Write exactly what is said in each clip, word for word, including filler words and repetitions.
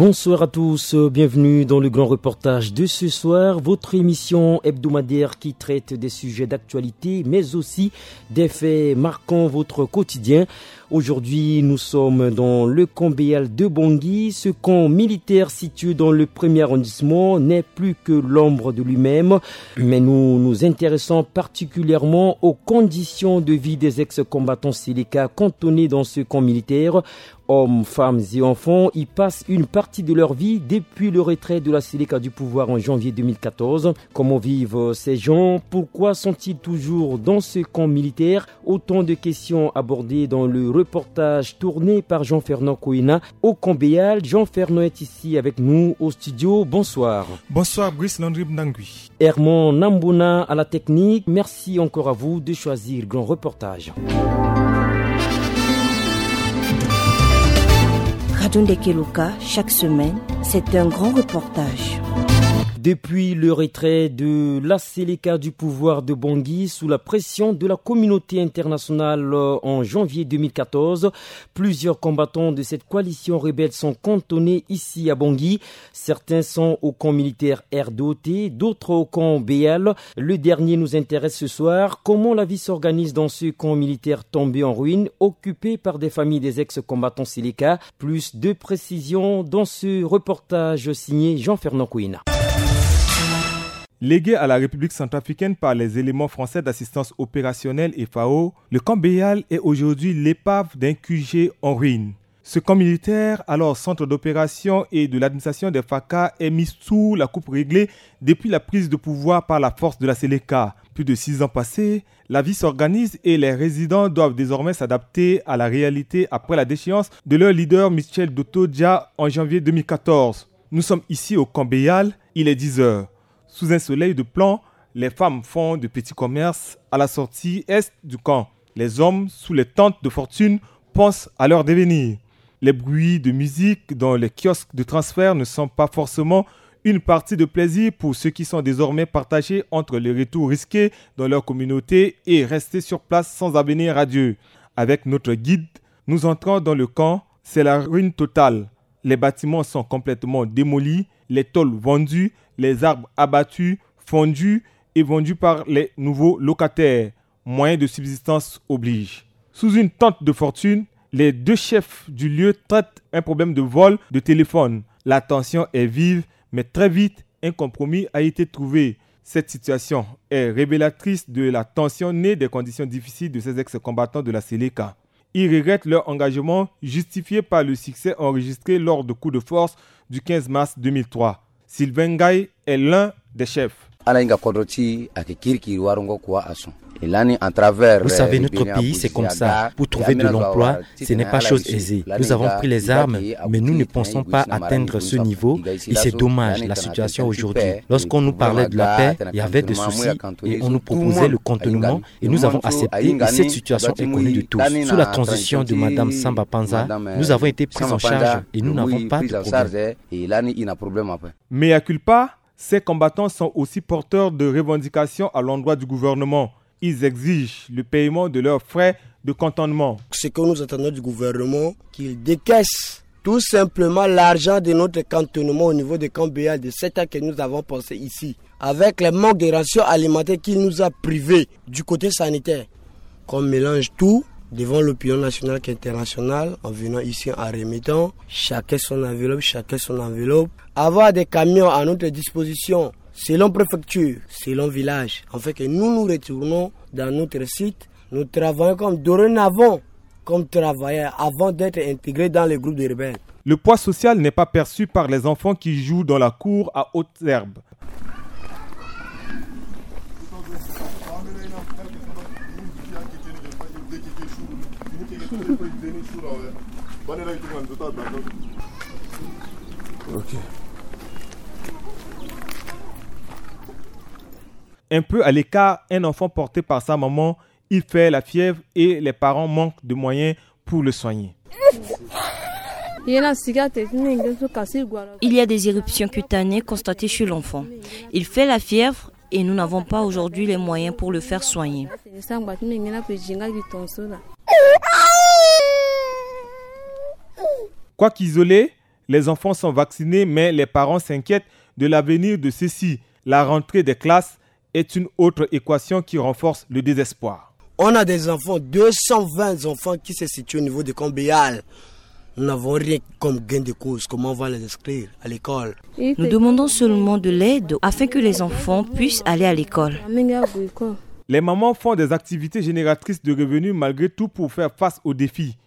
Bonsoir à tous, bienvenue dans le grand reportage de ce soir, votre émission hebdomadaire qui traite des sujets d'actualité, mais aussi des faits marquant votre quotidien. Aujourd'hui, nous sommes dans le camp Béal de Bangui. Ce camp militaire situé dans le premier arrondissement n'est plus que l'ombre de lui-même. Mais nous nous intéressons particulièrement aux conditions de vie des ex-combattants Seleka cantonnés dans ce camp militaire. Hommes, femmes et enfants y passent une partie de leur vie depuis le retrait de la Seleka du pouvoir en janvier deux mille quatorze. Comment vivent ces gens ? Pourquoi sont-ils toujours dans ce camp militaire ? Autant de questions abordées dans le reportage tourné par Jean-Fernand Koina au camp Béal. Jean-Fernand est ici avec nous au studio. Bonsoir. Bonsoir, Brice Landry Bnangui. Herman Nambona à la technique. Merci encore à vous de choisir Grand Reportage. Radio Ndekeloka, chaque semaine, c'est un grand reportage. Depuis le retrait de la Seleka du pouvoir de Bangui sous la pression de la communauté internationale en janvier deux mille quatorze, plusieurs combattants de cette coalition rebelle sont cantonnés ici à Bangui. Certains sont au camp militaire R deux T, d'autres au camp Béal. Le dernier nous intéresse ce soir. Comment la vie s'organise dans ce camp militaire tombé en ruine, occupé par des familles des ex-combattants Seleka ? Plus de précisions dans ce reportage signé Jean-Fernand Koina. Légué à la République centrafricaine par les éléments français d'assistance opérationnelle et FAO, le camp Béal est aujourd'hui l'épave d'un Q G en ruine. Ce camp militaire, alors centre d'opération et de l'administration des FACA, est mis sous la coupe réglée depuis la prise de pouvoir par la force de la Seleka. Plus de six ans passés, la vie s'organise et les résidents doivent désormais s'adapter à la réalité après la déchéance de leur leader Michel Dotodia en janvier deux mille quatorze. Nous sommes ici au camp Béal, il est dix heures. Sous un soleil de plomb, les femmes font de petits commerces à la sortie est du camp. Les hommes, sous les tentes de fortune, pensent à leur devenir. Les bruits de musique dans les kiosques de transfert ne sont pas forcément une partie de plaisir pour ceux qui sont désormais partagés entre le retour risqué dans leur communauté et rester sur place sans avenir radieux. Avec notre guide, nous entrons dans le camp, c'est la ruine totale. Les bâtiments sont complètement démolis, les tôles vendues, les arbres abattus, fondus et vendus par les nouveaux locataires. Moyens de subsistance oblige. Sous une tente de fortune, les deux chefs du lieu traitent un problème de vol de téléphone. La tension est vive, mais très vite, un compromis a été trouvé. Cette situation est révélatrice de la tension née des conditions difficiles de ces ex-combattants de la Seleka. Ils regrettent leur engagement justifié par le succès enregistré lors de coups de force du quinze mars deux mille trois. Sylvain Ngaye est l'un des chefs. Ala hinga kodro ti ayeke kirikiri wara ngo kua ason. E lani en travers. Vous savez, notre pays, c'est comme ça. Pour trouver de l'emploi, ce n'est pas chose aisée. Nous avons pris les armes, mais nous ne pensons pas atteindre ce niveau. Et c'est dommage, la situation aujourd'hui. Lorsqu'on nous parlait de la paix, il y avait des soucis et on nous proposait le cantonnement. Et nous avons accepté et cette situation est connue de tous. Sous la transition de Madame Samba Panza, nous avons été pris en charge et nous n'avons pas de problème. Mea culpa, ces combattants sont aussi porteurs de revendications à l'endroit du gouvernement. Ils exigent le paiement de leurs frais de cantonnement. Ce que nous attendons du gouvernement, qu'il décaisse tout simplement l'argent de notre cantonnement au niveau des camps Béal de sept ans que nous avons passé ici. Avec les manques de rations alimentaires qu'il nous a privés du côté sanitaire, qu'on mélange tout devant l'opinion nationale qu'internationale, en venant ici, en remettant chacun son enveloppe, chacun son enveloppe, avoir des camions à notre disposition, selon préfecture, selon village, afin que nous nous retournons dans notre site, nous travaillons comme dorénavant comme travailleurs avant d'être intégrés dans les groupes de rebelles. Le poids social n'est pas perçu par les enfants qui jouent dans la cour à haute herbe. Ok. Un peu à l'écart, un enfant porté par sa maman, il fait la fièvre et les parents manquent de moyens pour le soigner. Il y a des éruptions cutanées constatées chez l'enfant. Il fait la fièvre et nous n'avons pas aujourd'hui les moyens pour le faire soigner. Quoiqu'ils Les enfants sont vaccinés, mais les parents s'inquiètent de l'avenir de ceux-ci. La rentrée des classes est une autre équation qui renforce le désespoir. On a des enfants, deux cent vingt enfants qui se situent au niveau de Combéal. Nous n'avons rien comme gain de cause. Comment on va les inscrire à l'école? Nous demandons seulement de l'aide afin que les enfants puissent aller à l'école. Les mamans font des activités génératrices de revenus malgré tout pour faire face aux défis.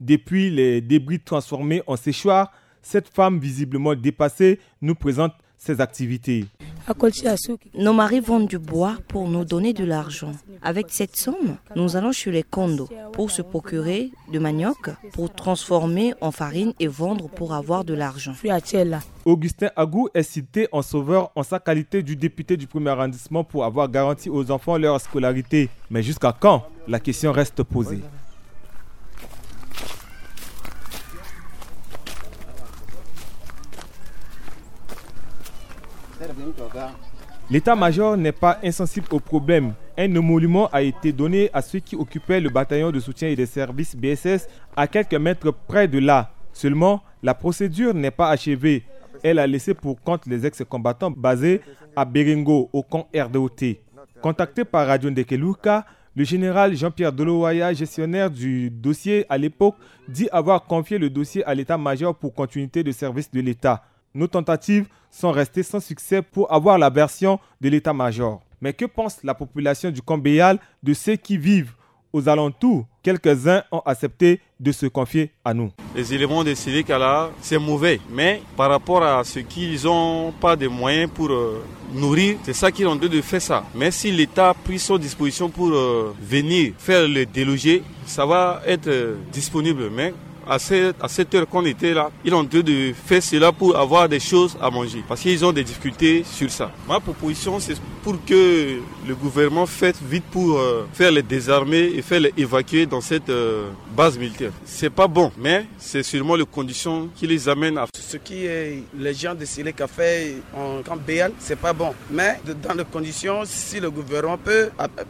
Depuis les débris transformés en séchoirs, cette femme visiblement dépassée nous présente ses activités. Nos maris vendent du bois pour nous donner de l'argent. Avec cette somme, nous allons chez les condos pour se procurer de manioc, pour transformer en farine et vendre pour avoir de l'argent. Augustin Agou est cité en sauveur en sa qualité du député du premier arrondissement pour avoir garanti aux enfants leur scolarité. Mais jusqu'à quand? La question reste posée. L'état-major n'est pas insensible au problème. Un émolument a été donné à ceux qui occupaient le bataillon de soutien et des services B S S à quelques mètres près de là. Seulement, la procédure n'est pas achevée. Elle a laissé pour compte les ex-combattants basés à Berengo, au camp R D O T. Contacté par Radio Ndekeluka, le général Jean-Pierre Dolowaya, gestionnaire du dossier à l'époque, dit avoir confié le dossier à l'état-major pour continuité de service de l'État. Nos tentatives sont restées sans succès pour avoir la version de l'état-major. Mais que pense la population du Combéal de ceux qui vivent aux alentours? Quelques-uns ont accepté de se confier à nous. Les éléments de Seleka là, c'est mauvais. Mais par rapport à ce qu'ils ont pas de moyens pour euh, nourrir, c'est ça qu'ils ont dû de faire ça. Mais si l'État a pris son disposition pour euh, venir faire le déloger, ça va être euh, disponible. Mais à cette, à cette heure qu'on était là, il est en train de faire cela pour avoir des choses à manger. Parce qu'ils ont des difficultés sur ça. Ma proposition, c'est pour que le gouvernement fasse vite pour euh, faire les désarmer et faire les évacuer dans cette euh, base militaire. C'est pas bon, mais c'est sûrement les conditions qui les amènent à... Ce qui est les gens de Seleka fait en camp Béal, c'est pas bon. Mais de- dans les conditions, si le gouvernement peut,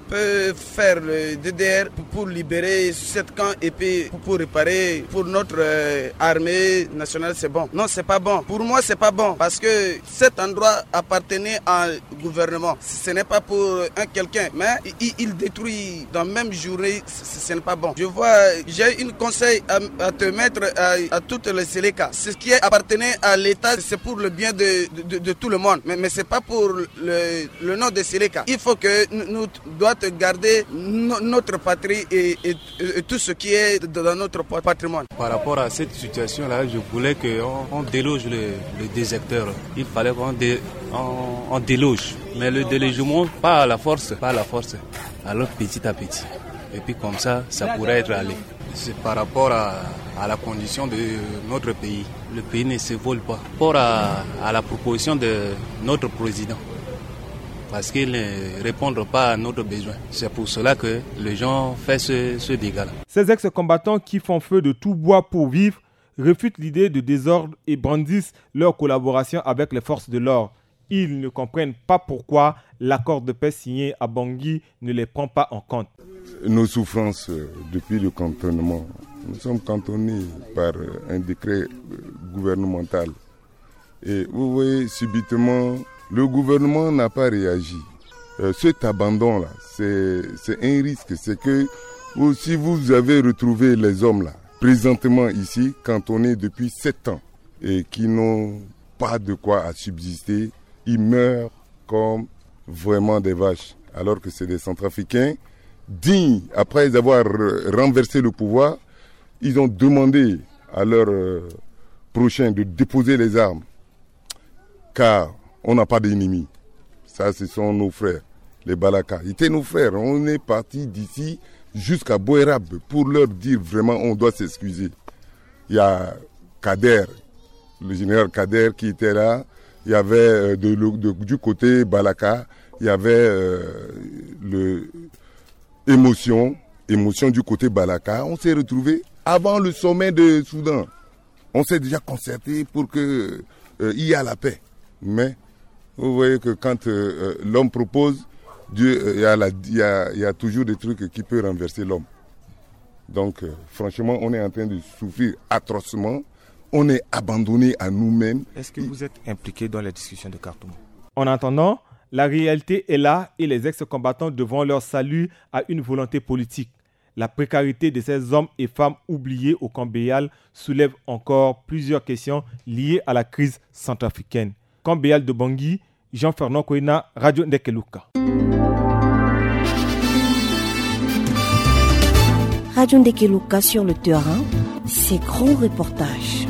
peut faire le D D R pour, pour libérer sept camps et puis pour, pour réparer pour notre euh, armée nationale, c'est bon. Non, c'est pas bon. Pour moi, c'est pas bon parce que cet endroit appartenait à gouvernement. Ce n'est pas pour un quelqu'un, mais il, il détruit dans la même journée, ce, ce n'est pas bon. Je vois, j'ai une conseil à, à te mettre à, à toutes les Seleka. Ce qui est appartenait à l'État, c'est pour le bien de, de, de tout le monde. Mais, mais c'est pas pour le, le nom de Seleka. Il faut que nous, nous doit garder no- notre patrie et, et, et tout ce qui est dans notre patrimoine. Par rapport à cette situation-là, je voulais qu'on on déloge le, le désecteur. Il fallait qu'on dé- on, on déloge. Mais le délogement, pas à la force, pas à la force. Alors petit à petit. Et puis comme ça, ça pourrait être allé. C'est par rapport à, à la condition de notre pays. Le pays ne s'évolue pas. Par rapport à, à la proposition de notre président. Parce qu'ils ne répondent pas à notre besoin. C'est pour cela que les gens font ce, ce dégât-là. Ces ex-combattants qui font feu de tout bois pour vivre refutent l'idée de désordre et brandissent leur collaboration avec les forces de l'ordre. Ils ne comprennent pas pourquoi l'accord de paix signé à Bangui ne les prend pas en compte. Nos souffrances euh, depuis le cantonnement. Nous sommes cantonnés par euh, un décret euh, gouvernemental. Et vous voyez, subitement, le gouvernement n'a pas réagi. Euh, cet abandon-là, c'est c'est un risque. C'est que vous- si vous avez retrouvé les hommes-là, présentement ici, cantonnés depuis sept ans, et qui n'ont pas de quoi à subsister, ils meurent comme vraiment des vaches, alors que c'est des Centrafricains dignes, après avoir r- renversé le pouvoir, ils ont demandé à leurs euh, prochains de déposer les armes, car on n'a pas d'ennemis. Ça, ce sont nos frères, les Balaka. Ils étaient nos frères. On est parti d'ici jusqu'à Boerab pour leur dire vraiment, on doit s'excuser. Il y a Kader, le général Kader qui était là. Il y avait euh, de, de- du côté Balaka, il y avait euh, le émotion, émotion du côté Balaka. On s'est retrouvé avant le sommet de Soudan. On s'est déjà concerté pour que euh, il y a la paix. Mais vous voyez que quand euh, euh, l'homme propose, Dieu, euh, il y a la- il y a- il y a toujours des trucs qui peuvent renverser l'homme. Donc, euh, franchement, on est en train de souffrir atrocement On est abandonné à nous-mêmes. Est-ce que vous êtes impliqué dans les discussions de Khartoum ? En attendant, la réalité est là et les ex-combattants devront leur salut à une volonté politique. La précarité de ces hommes et femmes oubliés au camp Béal soulève encore plusieurs questions liées à la crise centrafricaine. Camp Béal de Bangui, Jean-Fernand Koina, Radio Ndekeluka. Radio Ndekeluka sur le terrain, ces grands reportages.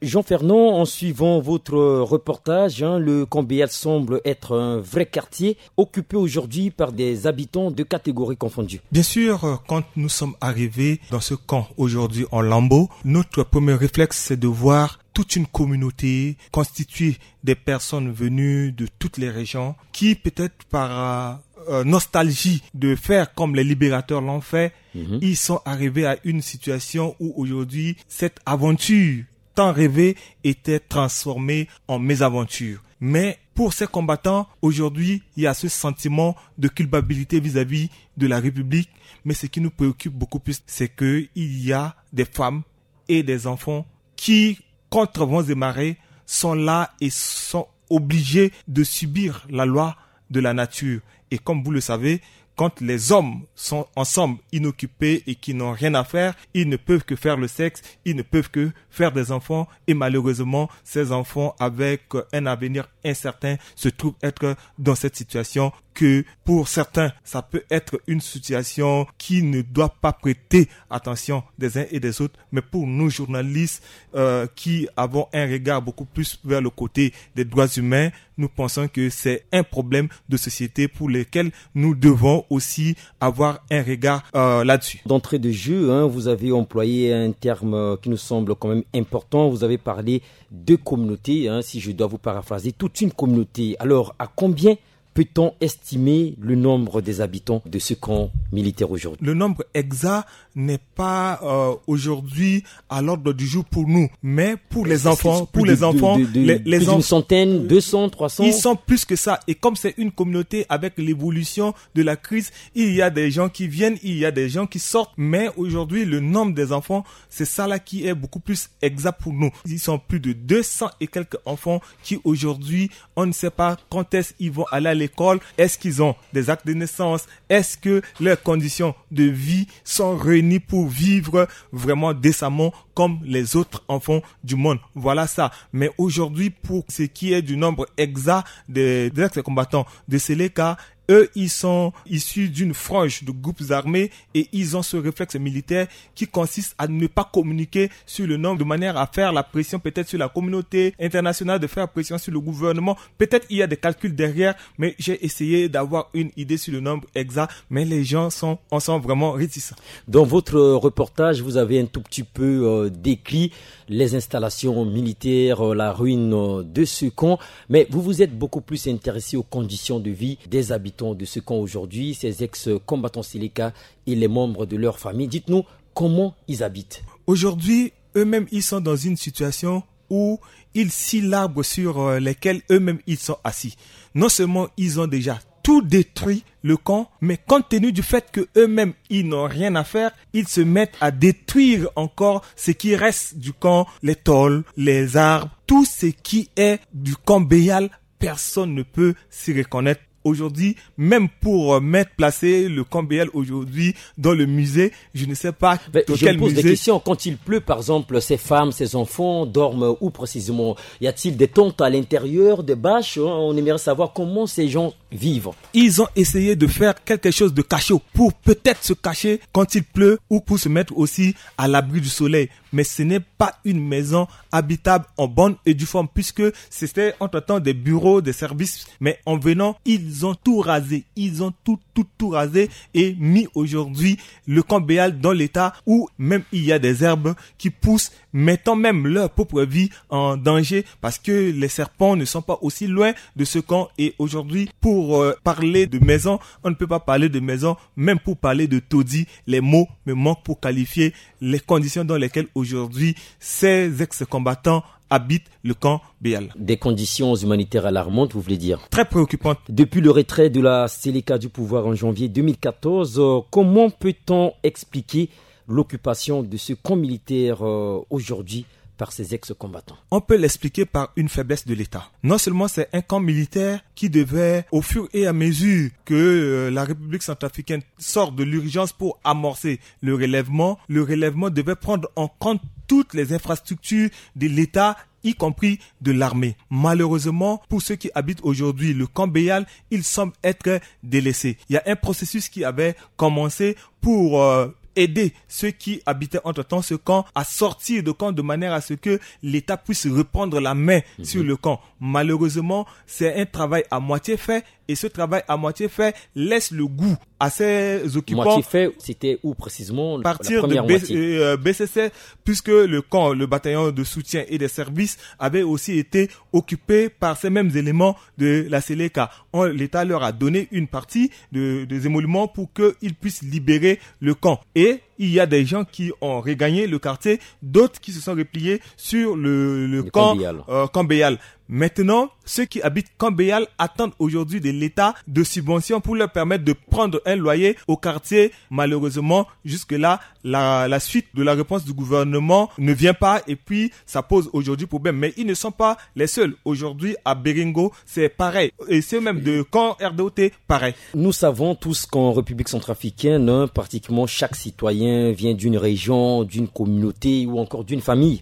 Jean-Fernand, en suivant votre reportage, hein, le camp Béal semble être un vrai quartier occupé aujourd'hui par des habitants de catégories confondues. Bien sûr, euh, quand nous sommes arrivés dans ce camp aujourd'hui en lambeaux, notre premier réflexe, c'est de voir toute une communauté constituée des personnes venues de toutes les régions qui, peut-être par euh, euh, nostalgie de faire comme les libérateurs l'ont fait, mhm, ils sont arrivés à une situation où aujourd'hui, cette aventure tant rêvée était transformée en mésaventure. Mais pour ces combattants, aujourd'hui, il y a ce sentiment de culpabilité vis-à-vis de la République. Mais ce qui nous préoccupe beaucoup plus, c'est qu'il y a des femmes et des enfants qui, contre vents et marées, sont là et sont obligés de subir la loi de la nature. Et comme vous le savez, quand les hommes sont ensemble, inoccupés et qui n'ont rien à faire, ils ne peuvent que faire le sexe, ils ne peuvent que faire des enfants. Et malheureusement, ces enfants, avec un avenir incertain, se trouvent être dans cette situation que, pour certains, ça peut être une situation qui ne doit pas prêter attention des uns et des autres. Mais pour nous, journalistes, euh, qui avons un regard beaucoup plus vers le côté des droits humains, nous pensons que c'est un problème de société pour lequel nous devons aussi avoir un regard, euh, là-dessus. D'entrée de jeu, hein, vous avez employé un terme, euh, qui nous semble quand même important. Vous avez parlé de communauté, hein, si je dois vous paraphraser, toute une communauté. Alors, à combien peut-on estimer le nombre des habitants de ce camp militaire aujourd'hui ? Le nombre exact n'est pas, euh, aujourd'hui à l'ordre du jour pour nous, mais pour les enfants, pour les enfants, les enfants, une centaine, deux cents, trois cents, ils sont plus que ça. Et comme c'est une communauté, avec l'évolution de la crise, il y a des gens qui viennent, il y a des gens qui sortent, mais aujourd'hui, le nombre des enfants, c'est ça là qui est beaucoup plus exact pour nous. Ils sont plus de deux cents et quelques enfants qui aujourd'hui, on ne sait pas quand est-ce qu'ils vont aller à l'école, est-ce qu'ils ont des actes de naissance, est-ce que leurs conditions de vie sont réunies pour vivre vraiment décemment comme les autres enfants du monde. Voilà ça. Mais aujourd'hui, pour ce qui est du nombre exact des, des ex-combattants de Seleka, eux, ils sont issus d'une frange de groupes armés et ils ont ce réflexe militaire qui consiste à ne pas communiquer sur le nombre de manière à faire la pression peut-être sur la communauté internationale, de faire pression sur le gouvernement. Peut-être il y a des calculs derrière, mais j'ai essayé d'avoir une idée sur le nombre exact, mais les gens sont, en sont vraiment réticents. Dans votre reportage, vous avez un tout petit peu, euh, décrit les installations militaires, euh, la ruine, euh, de ce camp. Mais vous vous êtes beaucoup plus intéressé aux conditions de vie des habitants de ce camp aujourd'hui, ces ex-combattants Seleka et les membres de leur famille. Dites-nous comment ils habitent. Aujourd'hui, eux-mêmes, ils sont dans une situation où ils scient l'arbre sur, euh, lesquels eux-mêmes ils sont assis. Non seulement ils ont déjà tout détruit le camp, mais compte tenu du fait que eux-mêmes ils n'ont rien à faire, ils se mettent à détruire encore ce qui reste du camp, les tôles, les arbres, tout ce qui est du camp Béal. Personne ne peut s'y reconnaître. Aujourd'hui, même pour, euh, mettre, placer le camp Béal aujourd'hui dans le musée, je ne sais pas dans quel musée. Mais je me pose des questions. Quand il pleut, par exemple, ces femmes, ces enfants dorment où précisément ? Y a-t-il des tentes à l'intérieur, des bâches ? On aimerait savoir comment ces gens vivent. Ils ont essayé de faire quelque chose de cachot pour peut-être se cacher quand il pleut ou pour se mettre aussi à l'abri du soleil. Mais ce n'est pas une maison habitable en bonne et due forme, puisque c'était entre-temps des bureaux, des services. Mais en venant, ils ont tout rasé. Ils ont tout, tout, tout rasé et mis aujourd'hui le camp Béal dans l'état où même il y a des herbes qui poussent, mettant même leur propre vie en danger, parce que les serpents ne sont pas aussi loin de ce camp. Et aujourd'hui, pour, euh, parler de maison, on ne peut pas parler de maison, même pour parler de taudis, les mots me manquent pour qualifier les conditions dans lesquelles aujourd'hui ces ex-combattants habitent le camp Béal. Des conditions humanitaires alarmantes, vous voulez dire ? Très préoccupantes. Depuis le retrait de la Seleka du pouvoir en janvier deux mille quatorze, euh, comment peut-on expliquer l'occupation de ce camp militaire, euh, aujourd'hui par ces ex-combattants ? On peut l'expliquer par une faiblesse de l'État. Non seulement c'est un camp militaire qui devait, au fur et à mesure que, euh, la République centrafricaine sort de l'urgence pour amorcer le relèvement, le relèvement devait prendre en compte toutes les infrastructures de l'État, y compris de l'armée. Malheureusement, pour ceux qui habitent aujourd'hui le camp Béal, il semble être délaissé. Il y a un processus qui avait commencé pour, euh, aider ceux qui habitaient entre-temps ce camp à sortir de camp de manière à ce que l'État puisse reprendre la main, mhm, sur le camp. Malheureusement, c'est un travail à moitié fait, et ce travail à moitié fait laisse le goût à ces occupants. Moitié fait, c'était où précisément ? Partir de B C, euh, B C C, puisque le camp, le bataillon de soutien et des services avait aussi été occupé par ces mêmes éléments de la Seleka. L'État leur a donné une partie de, des émoluments pour qu'ils puissent libérer le camp. Et il y a des gens qui ont regagné le quartier, d'autres qui se sont repliés sur le, le camp, euh, camp Béal. Maintenant, ceux qui habitent camp Béal attendent aujourd'hui de l'État de subventions pour leur permettre de prendre un loyer au quartier. Malheureusement, jusque-là, la, la suite de la réponse du gouvernement ne vient pas et puis ça pose aujourd'hui problème. Mais ils ne sont pas les seuls. Aujourd'hui, à Béringo, c'est pareil. Et ceux même de camp R D O T, pareil. Nous savons tous qu'en République centrafricaine, hein, pratiquement chaque citoyen vient d'une région, d'une communauté ou encore d'une famille.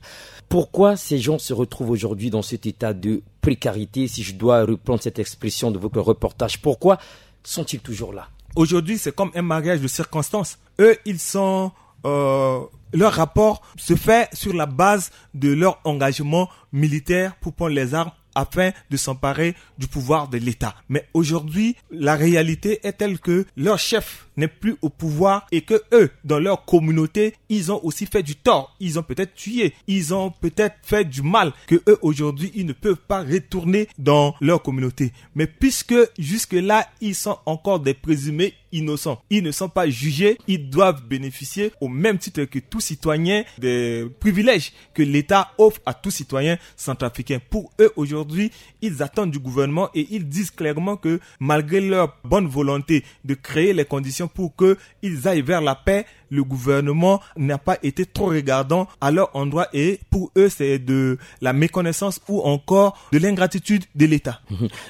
Pourquoi ces gens se retrouvent aujourd'hui dans cet état de précarité, si je dois reprendre cette expression de votre reportage ? Pourquoi sont-ils toujours là ? Aujourd'hui, c'est comme un mariage de circonstances. Eux, ils sont, euh, leur rapport se fait sur la base de leur engagement militaire pour prendre les armes afin de s'emparer du pouvoir de l'État. Mais aujourd'hui, la réalité est telle que leur chef n'est plus au pouvoir et que eux, dans leur communauté, ils ont aussi fait du tort. Ils ont peut-être tué, ils ont peut-être fait du mal, que eux, aujourd'hui, ils ne peuvent pas retourner dans leur communauté. Mais puisque jusque-là, ils sont encore des présumés innocents, ils ne sont pas jugés, ils doivent bénéficier au même titre que tout citoyen des privilèges que l'État offre à tout citoyen centrafricain. Pour eux, aujourd'hui, ils attendent du gouvernement et ils disent clairement que malgré leur bonne volonté de créer les conditions pour que ils aillent vers la paix, le gouvernement n'a pas été trop regardant à leur endroit et pour eux, c'est de la méconnaissance ou encore de l'ingratitude de l'État.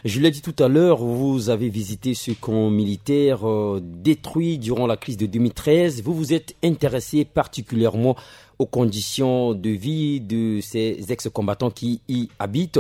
Je l'ai dit tout à l'heure, vous avez visité ce camp militaire, euh, détruit durant la crise de deux mille treize. Vous vous êtes intéressé particulièrement aux conditions de vie de ces ex-combattants qui y habitent.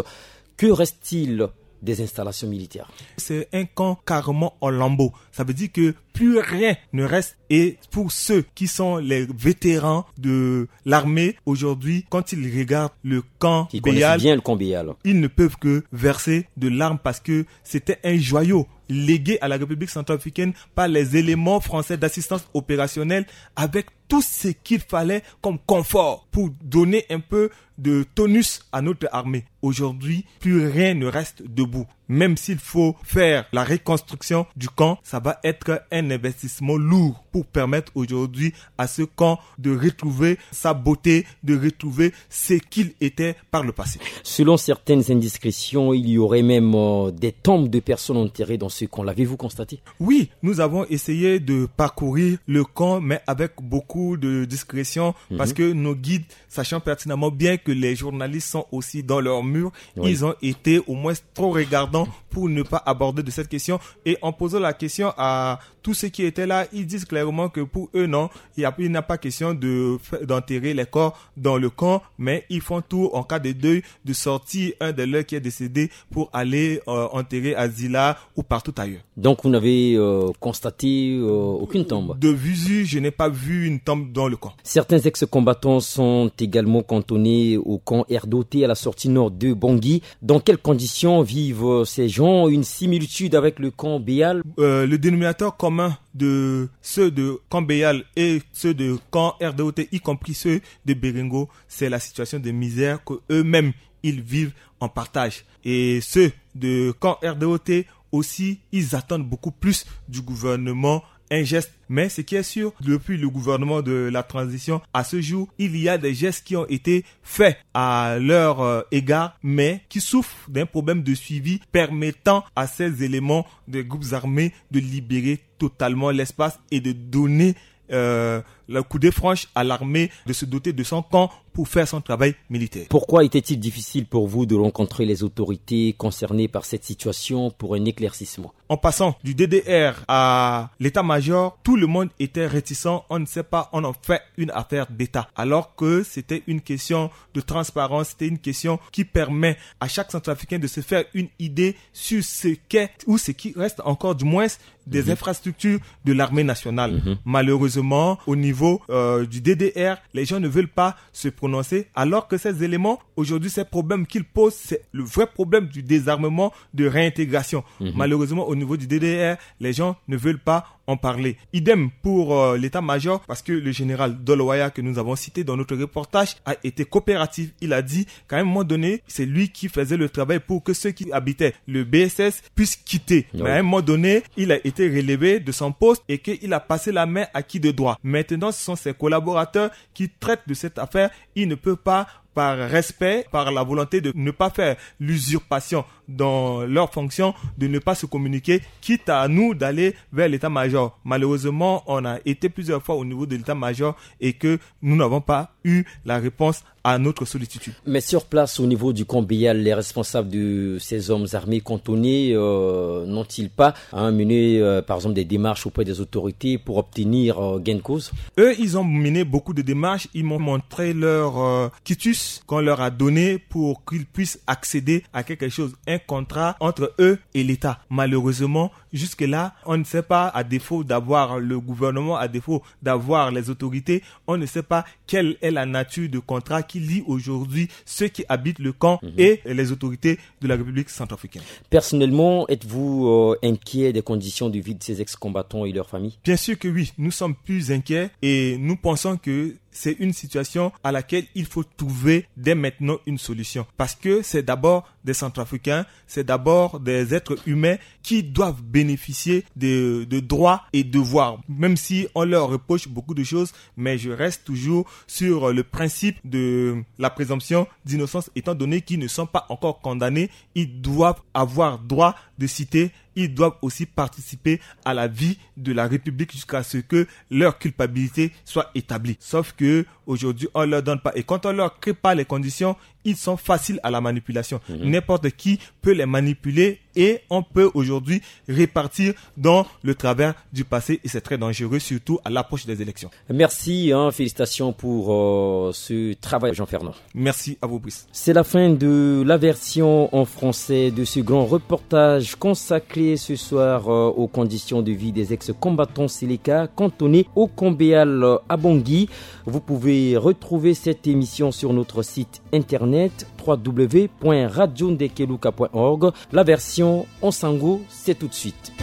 Que reste-t-il des installations militaires ? C'est un camp carrément en lambeaux. Ça veut dire que plus rien ne reste. Et pour ceux qui sont les vétérans de l'armée aujourd'hui, quand ils regardent le camp Béal, ils ne peuvent que verser de larmes parce que c'était un joyau légué à la République centrafricaine par les éléments français d'assistance opérationnelle avec tout ce qu'il fallait comme confort pour donner un peu de tonus à notre armée. Aujourd'hui, plus rien ne reste debout. Même s'il faut faire la reconstruction du camp, ça va être un investissement lourd pour permettre aujourd'hui à ce camp de retrouver sa beauté, de retrouver ce qu'il était par le passé. Selon certaines indiscrétions, il y aurait même, euh, des tombes de personnes enterrées dans ce camp. L'avez-vous constaté ? Oui, nous avons essayé de parcourir le camp, mais avec beaucoup de discrétion, parce que nos guides, sachant pertinemment bien que les journalistes sont aussi dans leur mur, ils ont été au moins trop regardants pour ne pas aborder de cette question. Et en posant la question à tous ceux qui étaient là, ils disent clairement que pour eux, non, il y a, il n'a pas question de fa-, d'enterrer les corps dans le camp, mais ils font tout en cas de deuil de sortir un de leurs qui est décédé pour aller, euh, enterrer à Zila ou partout ailleurs. Donc vous n'avez, euh, constaté, euh, aucune tombe ? De visu, je n'ai pas vu une tombe dans le camp. Certains ex-combattants sont également cantonnés au camp R D O T à la sortie nord de Bangui. Dans quelles conditions vivent, euh, ces gens ? Une similitude avec le camp Béal ? Euh, le dénominateur commun de ceux de camp Béal et ceux de camp R D O T, y compris ceux de Béringo, c'est la situation de misère que eux-mêmes, ils vivent en partage. Et ceux de camp R D O T aussi, ils attendent beaucoup plus du gouvernement, un geste. Mais ce qui est sûr, depuis le gouvernement de la transition, à ce jour, il y a des gestes qui ont été faits à leur, euh, égard, mais qui souffrent d'un problème de suivi permettant à ces éléments des groupes armés de libérer totalement l'espace et de donner, euh, le coup de franche à l'armée de se doter de son camp pour faire son travail militaire. Pourquoi était-il difficile pour vous de rencontrer les autorités concernées par cette situation pour un éclaircissement ? En passant du D D R à l'état-major, tout le monde était réticent. On ne sait pas, on en fait une affaire d'État. Alors que c'était une question de transparence, c'était une question qui permet à chaque centrafricain de se faire une idée sur ce qu'est ou ce qui reste encore, du moins, des infrastructures de l'armée nationale. Malheureusement, au niveau, euh, du D D R, les gens ne veulent pas se prononcer, alors que ces éléments, aujourd'hui, ces problèmes qu'ils posent, c'est le vrai problème du désarmement, de réintégration. Malheureusement, au niveau du D D R, les gens ne veulent pas en parler. Idem pour, euh, l'état-major, parce que le général Dolowaya, que nous avons cité dans notre reportage, a été coopératif. Il a dit qu'à un moment donné, c'est lui qui faisait le travail pour que ceux qui habitaient le B S S puissent quitter. Mais à un moment donné, il a été relevé de son poste et qu'il a passé la main à qui de droit. Maintenant, ce sont ses collaborateurs qui traitent de cette affaire. Il ne peut pas, par respect, par la volonté de ne pas faire l'usurpation dans leur fonction, de ne pas se communiquer, quitte à nous d'aller vers l'état-major. Malheureusement, on a été plusieurs fois au niveau de l'état-major et que nous n'avons pas eu la réponse à notre sollicitude. Mais sur place, au niveau du camp Béal, les responsables de ces hommes armés cantonnés, euh, n'ont-ils pas, hein, mené, euh, par exemple, des démarches auprès des autorités pour obtenir, euh, gain de cause ? Eux, ils ont mené beaucoup de démarches. Ils m'ont montré leur, euh, quitus qu'on leur a donné pour qu'ils puissent accéder à quelque chose, un contrat entre eux et l'État. Malheureusement, jusque-là, on ne sait pas, à défaut d'avoir le gouvernement, à défaut d'avoir les autorités, on ne sait pas quelle est la nature de contrat qui lie aujourd'hui ceux qui habitent le camp et les autorités de la République centrafricaine. Personnellement, êtes-vous, euh, inquiet des conditions de vie de ces ex-combattants et leurs familles ? Bien sûr que oui, nous sommes plus inquiets et nous pensons que c'est une situation à laquelle il faut trouver dès maintenant une solution. Parce que c'est d'abord des Centrafricains, c'est d'abord des êtres humains qui doivent bénéficier de, de droits et devoirs. Même si on leur reproche beaucoup de choses, mais je reste toujours sur le principe de la présomption d'innocence, étant donné qu'ils ne sont pas encore condamnés, ils doivent avoir droit de cité, ils doivent aussi participer à la vie de la République jusqu'à ce que leur culpabilité soit établie. Sauf que aujourd'hui, on leur donne pas. Et quand on leur crée pas les conditions, ils sont faciles à la manipulation. N'importe qui peut les manipuler et on peut aujourd'hui repartir dans le travers du passé et c'est très dangereux, surtout à l'approche des élections. Merci, hein, félicitations pour, euh, ce travail, Jean-Fernand. Merci à vous, Brice. C'est la fin de la version en français de ce grand reportage consacré ce soir, euh, aux conditions de vie des ex-combattants Seleka cantonnés au camp Béal, euh, à Bangui. Vous pouvez retrouver cette émission sur notre site internet w w w point radio ndekeluka point org. La version en sango, c'est tout de suite.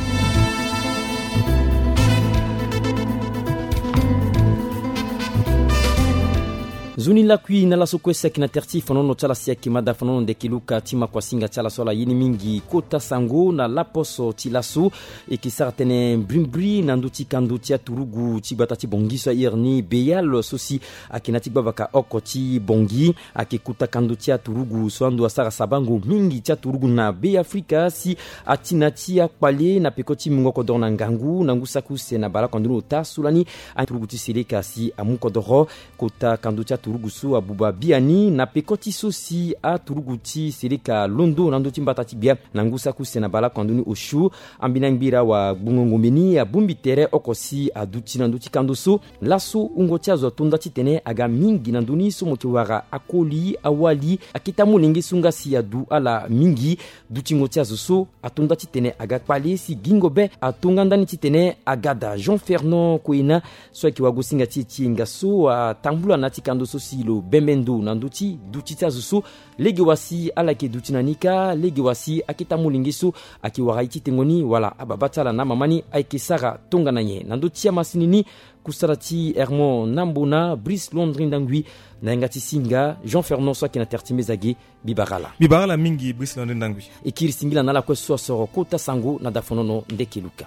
Nzoni lakui na laso kue si ayeke na tere ti fanono ti ala si ayeke mada fanono ndeke luka ti makuasinga ti ala so ala ye ni mingi kota sango na laposo ti laso. E yeke sara tënë mbrimbri na ndö ti kando ti aturugu ti gbata ti Bangui so a iri ni Béal so si ayeke na ya ti gbavaka oko ti Bangui. Ayeke kota kando ti aturugu so ando asara sabango mingi ti aturugu na Be Afrika si ati na ya ti akpale na peko ti mungo kodoro na ngangu na ngu saki use na baleoko ando ni ota so lani aturugu ti Seleka si amu kodoro. Kota kando ti aturugu so abuba biani na peko ti so si aturugu ti Seleka alondo na ndö ti mbata ti gbia na ngu saki use na baleoko ando ni osio. Ambeni angbira wagbongo ngombe ni abongbi tere oko si aduti na ndö ti kando so. Laso wungo ti azo ato nda titene aga mingi na ndö ni so mo yeke wara akoli awali akete amolenge so nga si adu ala mingi. Dutingo ti azo so ato nda titene aga kpale si gingo be ato nga ndani titene aga daa. Jean Fernand Koena so ayeke wagosinga ti e ti yenga so atambula na ya ti kando so si lo bembe ndo na ndö ti duti ti azo so. Lege wa si ala yeke duti na ni kâ, lege wa si akete amolenge so ayeke wara ye ti tengo ni wala ababa ti ala na amama ni ayeke sara tongana nyen na ndö ti amasini ni. Kusala ti Hermon Nambona, Brice Londri Ndangui, na yanga ti singa Jean Fernand so ayeke na tere ti mbeza ge. Mbi bara ala. Mbi bara ala mingi Brice Londri Ndangui. E kiri singila na ala kue so asoro kota sango na dafonono ndeke luka.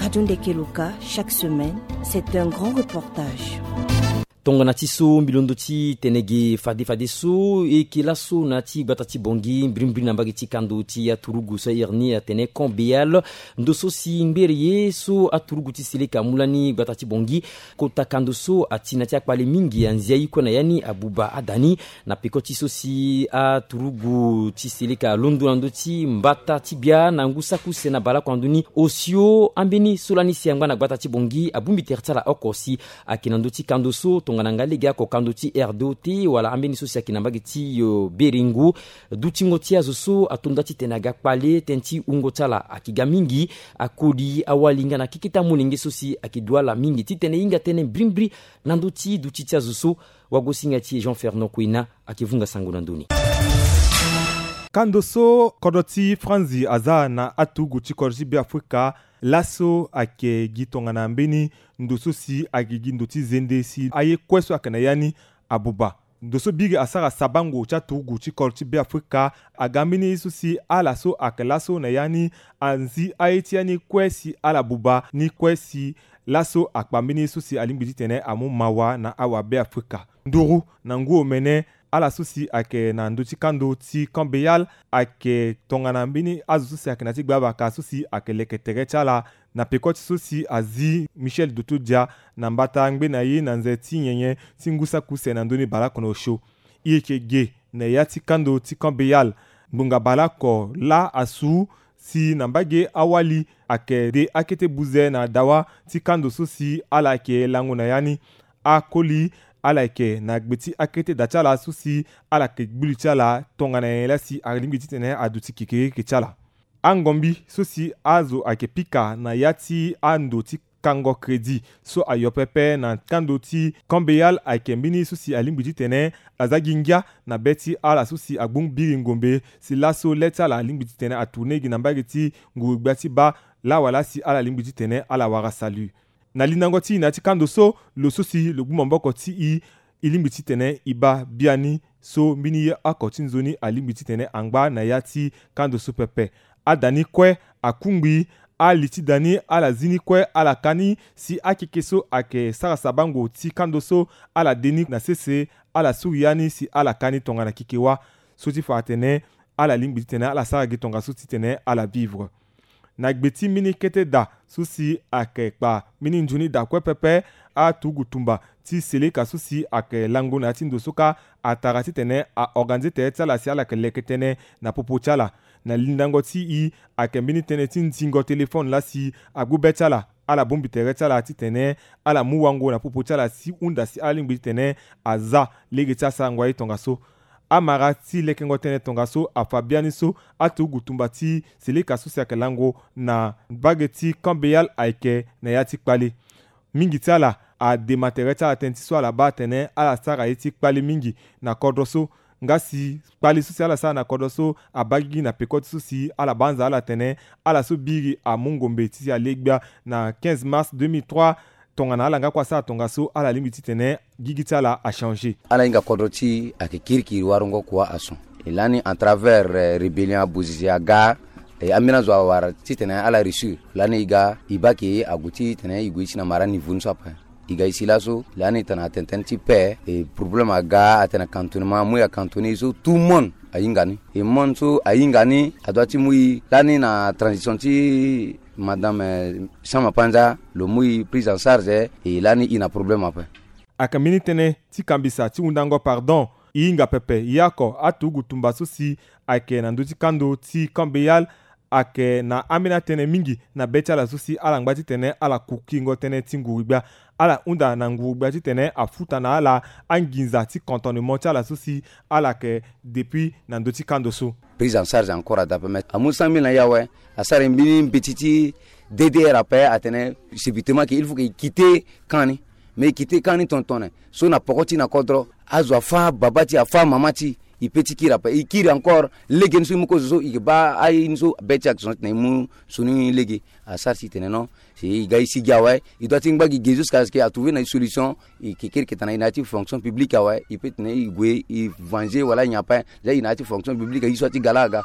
Radio Ndeke Luka, chaque semaine, c'est un grand reportage. Tongana ti so mbi londo ti tene ge fade fade so e yeke laso na ya ti gbata ti Bangui mbirimbiri na mbage ti kando ti aturugu so airi ni atene Camp Béal. Ndo so si ngbere ye so aturugu ti Seleka amu lani gbata ti Bangui, kota kando so ati na ya ti akpale mingi anzia ye kue na ya ni abuba ada ni. Na peko ti so si aturugu ti Seleka alondo na ndö ti mbata ti bia na ngu saki use na baleoko na ndö ni, osio ambeni so lani si angba na gbata ti Bangui abongbi tere ti ala oko si ayeke na ndö ti kando so tongana nga legeoko kando ti R D O T wala ambeni so si ayeke na mbage ti, eh, Berengo. Dutingo ti azo so ato nda titene aga kpale tënë ti wungo ti ala ayeke ga mingi. Akoli, awali nga na keke ti amolenge so si ayeke du ala mingi titene e hinga tënë mbirimbiri na ndö ti duti ti azo so. Wagosinga ti e Jean Fernand Kouena ayeke vunga sango na ndö ni. Kando so kodro ti Franzi aza na aturugu ti kodro ti Beafrika, laso ayeke gi tongana mbeni ndo so si ayeke gi ndo ti zende si aye kue so ayeke na ya ni abuba. Ndo so biri asara sabango ti aturugu ti kodro ti Beafrika aga mbeni ye so si ala so ayeke laso na ya ni anzi aye ti ya ni kue si ala buba ni kue si laso akpa mbeni ye so si alingbi titene amu mawa na awabeafrika. Nduru na ngu omene, ala so si ayeke na ndö ti kando ti Camp Béal ayeke tongana mbeni azo so si ayeke na ya ti gbabaka so si ayeke leke tere ti ala. Na peko ti so si azi Michel Dotodia na mbata angbe na ye na nze ti nyenye ti ngu saki use na ndö ni baleoko na osio. E yeke ge na ya ti kando ti Camp Béal. Ngbonga baleoko laa asu si na mbage awali ayeke de akete buze na dawa ti kando so si ala yeke lango na ya ni. Akoli, ala yeke na gbe ti akete da ti ala so si ala yeke gbu li ti ala tongana nyen laa si alingbi titene aduti kekereke ti ala. Angombi so si azo ayeke pika na ya ti ando ti kango crédit so ayo pepe na kando ti Camp Béal ayeke mbeni so si alingbi titene aza gi ngia na be ti ala so si agbung biri ngombe si laso le ti ala alingbi titene atourne gi na mbage ti nguru-gbia ti baa lawala si ala lingbi titene ala wara salut. Na lindango ti e na ya ti kando so, lo so si lo gbu maboko ti e, e lingbi titene e baa biani so mbeni ye oko ti nzoni alingbi titene angba na ya ti kando so pepe. Ada ni kue akungbi, ali ti da ni ala zi ni kue ala ka ni si akeke so ayeke sara sabango ti kando so ala de ni na sese, ala suri ya ni si ala ka ni tongana keke wâ. So ti fa atene ala lingbi titene ala sara gi tongaso titene ala vivre. Na gbe ti mbeni kete da so si ayeke kpa mbeni nzoni da kue pepe, aturugu tumba ti Seleka so si ayeke lango na ya ti ndo so kâ atara titene a organiser tere ti ala si ala yeke leke tënë na popo ti ala. Na lindango ti e ayeke mbeni tënë ti nzingo téléphone laa si agbu be ti ala, ala bongbi tere ti ala titene ala mu wango na popo ti ala si hunda si ala lingbi titene aza lege ti asarango aye tongaso. Amara ti lekengo tënë tongaso afa biani so aturugu tumba ti Seleka so si ayeke lango na mbage ti Camp Béal ayeke na ya ti kpale. Mingi ti ala adema tere ti ala tënë ti so ala baa atene ala sara ye ti kpale mingi na kodro so. Nga si kpale so si ala sara na kodro so abaa gigi na peko ti so si ala banza ala tene ala so biri amu ngombe ti si ale gbia na quinze mars deux mille trois. Tongana ala nga kue asara tongaso, ala lingbi titene gigi ti ala achanger. Ala hinga kodro ti ayeke kirikiri warango kua ason. E lani en travers, eh, rébellion abuzizi aga, eh, ambeni azo awara titene ala réussir. Lani e ga e baa ke ague titene e gue ye ti na mara niveau ni so ape. E ga e si laso lani tongana atene tënë ti paix, eh, problème aga, atene cantonnement, amu e acantonner e so tout le monde ahinga ni. E monde so ahinga ni adoit ti mu e lani na transition ti madame, eh, Sama Panza, lo mu e prise en charge, eh, e lani e na problème ape. Ayeke mbeni tënë ti kambisa ti hundango pardon. E hinga pepe, e oko aturugu tumba so si ayeke na ndö ti kando ti Camp Béal ayeke na ambeni atënë mingi na be ti ala so si ala ngba titene ala kukingo tënë ti nguru-gbia. Ala hunda na nguru-gbia titene afuta na ala anginza ti cantonnement ti ala so si ala yeke depuis na ndö ti kando so. Prise en charge encore ada pe, mais amu cent mille na e awe, asara e mbeni mbeti ti D D R ape, atene subitement ke il faut ke e quitter camp ni. Mais e quitter camp ni tongana so na poko ti e na kodro, azo afâ baba ti e, afâ mama ti e, e pe ti kiri ape. E kiri encore, lege ni so e mu ko zo so, e ke baa aye ni so be ti e ayeke zo na e mu so ni lege. Asara si e tene non, si e ga e sigi awe, e doit ti ngba gi ge jusqu'à ce que a trouver na e solution. E ke kiri ke tana e na ya ti fonction publique awe, e pe tene e gue e venger wala nyen ape. Nzia e na ya ti fonction publique aye so ati ga laa aga.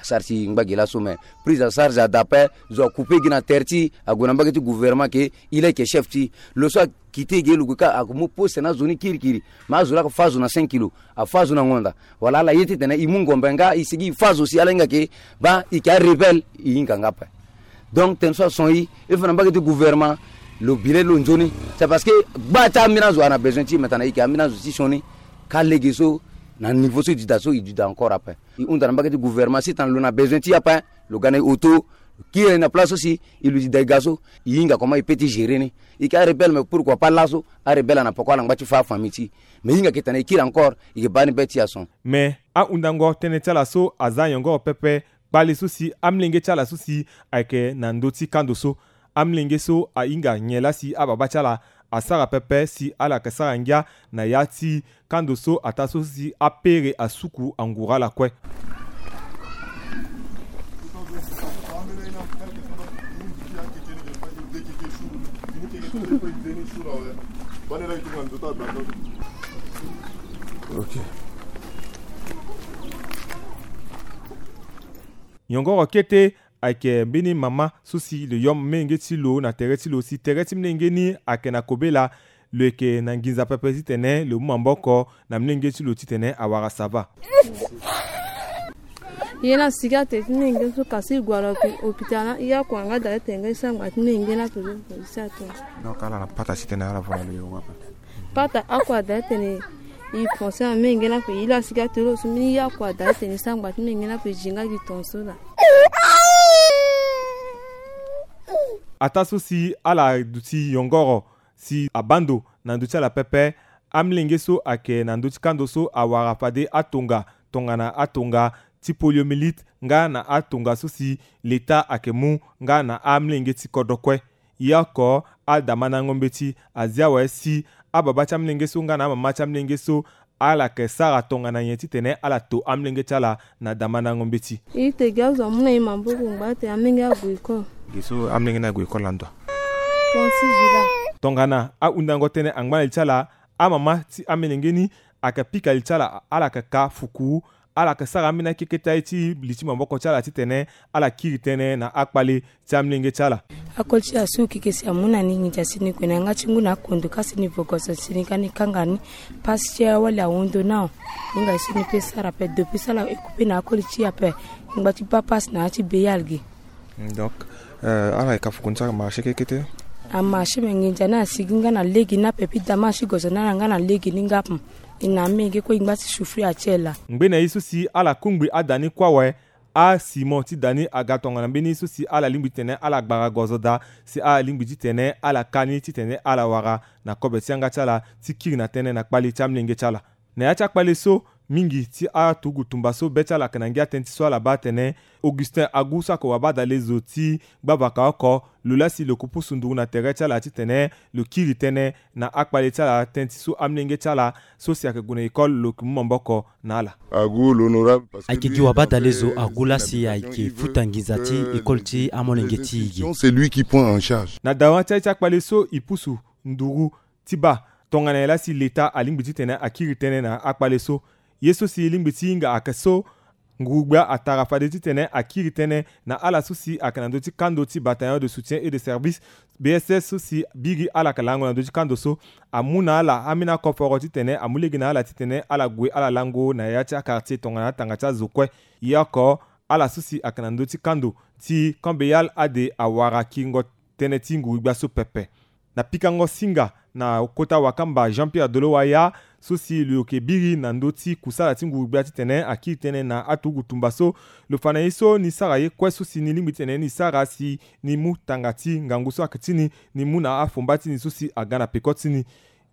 Sara ti ngba gi laso me, prise en charge ada ape. Zo akoupe gi na terre ti, ague na mbage ti gouvernement ke, il est que chef ti lo so akite gi lo gue ka, amu poste na azo ni kirikiri. Me azo laa afa azo na cinq kilos, afa azo na ngonda. Wala ala ye ti tene e mu ngombe nga e sigi e fa azo si ala hinga ke, ba e ke arebelle, e hinga nga ape. Donc tene so ason e, e fa na mbage ti gouvernement, lo bi le lo nzoni. C'est parce que gba ti ambeni azo ana besoin ti e, me tana e ke ambeni azo ti sioni. Ka lege so, na niveau so e duda so, e duda encore ape. E hunda na mbage ti gouvernement si tana lo na besoin ti e ape, lo ga na e auto, lo kiri na place so si e luti daiga so, e hinga comment e peut ti gérer ni. E ke arebelle, mais pourquoi pas laso arebelle ana poko ala ngba ti fa afamille ti e. Mais e hinga ke tana e kiri encore, e ke baa ni be ti e ason. Mais ahundango tënë ti ala so aza nyongoro pepe, kpale so si amolenge ti ala so si ayeke na ndö ti kando so. Amolenge so ahinga nyen laa si ababa ti ala asara pepe si ala yeke sara ngia na ya ti kando so ataa so si apere asuku anguru ala kue. Ok. Nyongoro kete ayeke mbeni mama so si lo yom menge ti lo na tere ti lo si tere ti mlenge ni ayeke na kobela. Lo yeke na nginza pepe titene lo mu maboko na mlenge ti lo titene awara sava. Ye na sigi atene ti mlenge so kasi e gue na hôpital na e akua nga daa tene nga e sara ngba ti mlenge na poto. Donc ala na pata titene ala vo na lo yo wape. Pata akua daa tene e pense na mlenge na pe e la sigi atene lo so mbeni e akua daa tene e sara ngba ti mlenge na pe e zi nga gi tonso laa. Ataa so si ala duti yongoro si abaa ndo na ndö ti ala pepe. Amlenge so ayeke na ndö ti kando so awara fade atonga tongana atonga ti poliomyélite nga na atonga so si leta ayeke mu nga na amlenge ti kodro kue. Ye oko adamandango mbeti azi awe si ababa ti amlenge so nga na amama ti amlenge so ala yeke sara tongana nyen titene ala to amlenge ti ala na damandango mbeti. E te gi azo amu na e maboko ngba ate amlenge ague école. Gi so amlenge ni ague école na ndo. Tonga na ahundango tënë angba na li ti ala, amama ti amolenge ni ayeke pika li ti ala, ala yeke ka fuku, ala yeke sara ambeni akeke ti aye ti li ti maboko ti ala titene ala kiri tënë na akpale ti amolenge ti ala. Akoli ti asu keke si amu na ni nginza si ni gue na yanga ti ngu na akondo kasi ni vogoso si ni ga ni kanga ni pasi ti awali awondo nao. Ni nga si ni pe sara ape depuis sala ekupe na akoli ti ape. Ngba ti baa pasi na ya ti beyal gi. Donc ala yeke ka fuku ni sara marché keke te. Amarché me nginza ni asigi nga na lege ni ape puis dama asi gozo na ala nga na lege ni nga ape. E na amenge kue e ngba ti souffrir atie laa. Ngbene ye so si ala kungbi ada ni kue awe. Asimo ti da ni aga tongana mbeni so si ala lingbi titene ala gbara gozo daa si ala lingbi titene ala ka ni titene ala wara na kobe ti yanga ti ala ti kiri na tënë na kpale ti amolenge ti ala. Na ya ti akpale so, mingi ti aturugu tumba so be ti ala ayeke na ngia tënë ti so ala baa atene Augustin Agu so ayeke wabadale zo ti gbavaka oko, lo laa si lo yeke pusu nduru na tere ti ala titene lo kiri tënë na akpale ti ala tënë ti so amolenge ti ala so si ayeke gue na école lo yeke mu maboko na ala. Agu l'honorable parce que ayeke gi wabadale zo Agu laa si ayeke futa nginza ti école ti amolenge ti e gi. C'est lui qui prend en charge. Na dawa ti aye ti akpale so e pusu nduru ti baa tongana nyen laa si leta alingbi titene akiri tënë na akpale so. Ye so si e lingbi ti hinga ayeke so nguru-gbia atara fade titene akiri tënë na ala so si ayeke na ndö ti kando ti bataillon de soutien et de service, B S S, so si biri ala yeke lango na ndö ti kando so, amu na ala ambeni akoforo titene amu lege na ala titene ala gue ala lango na ya ti akartier tongana atanga ti azo kue. Ye oko ala so si ayeke na ndö ti kando ti Camp Beyal ade awara kiringo tënë ti nguru-gbia so pepe. Na pikango singa na kota wakamba Jean-Pierre Dolo Waya, so si lo yeke biri na ndö ti kusala ti nguru-gbia titene akiri tënë na aturugu tumba so, lo fa na ye so ni sara ye kue so si ni lingbi titene ni sara si ni mu tanga ti ngangu so ayeke ti ni, ni mu na afomba ti ni so si aga na peko ti ni.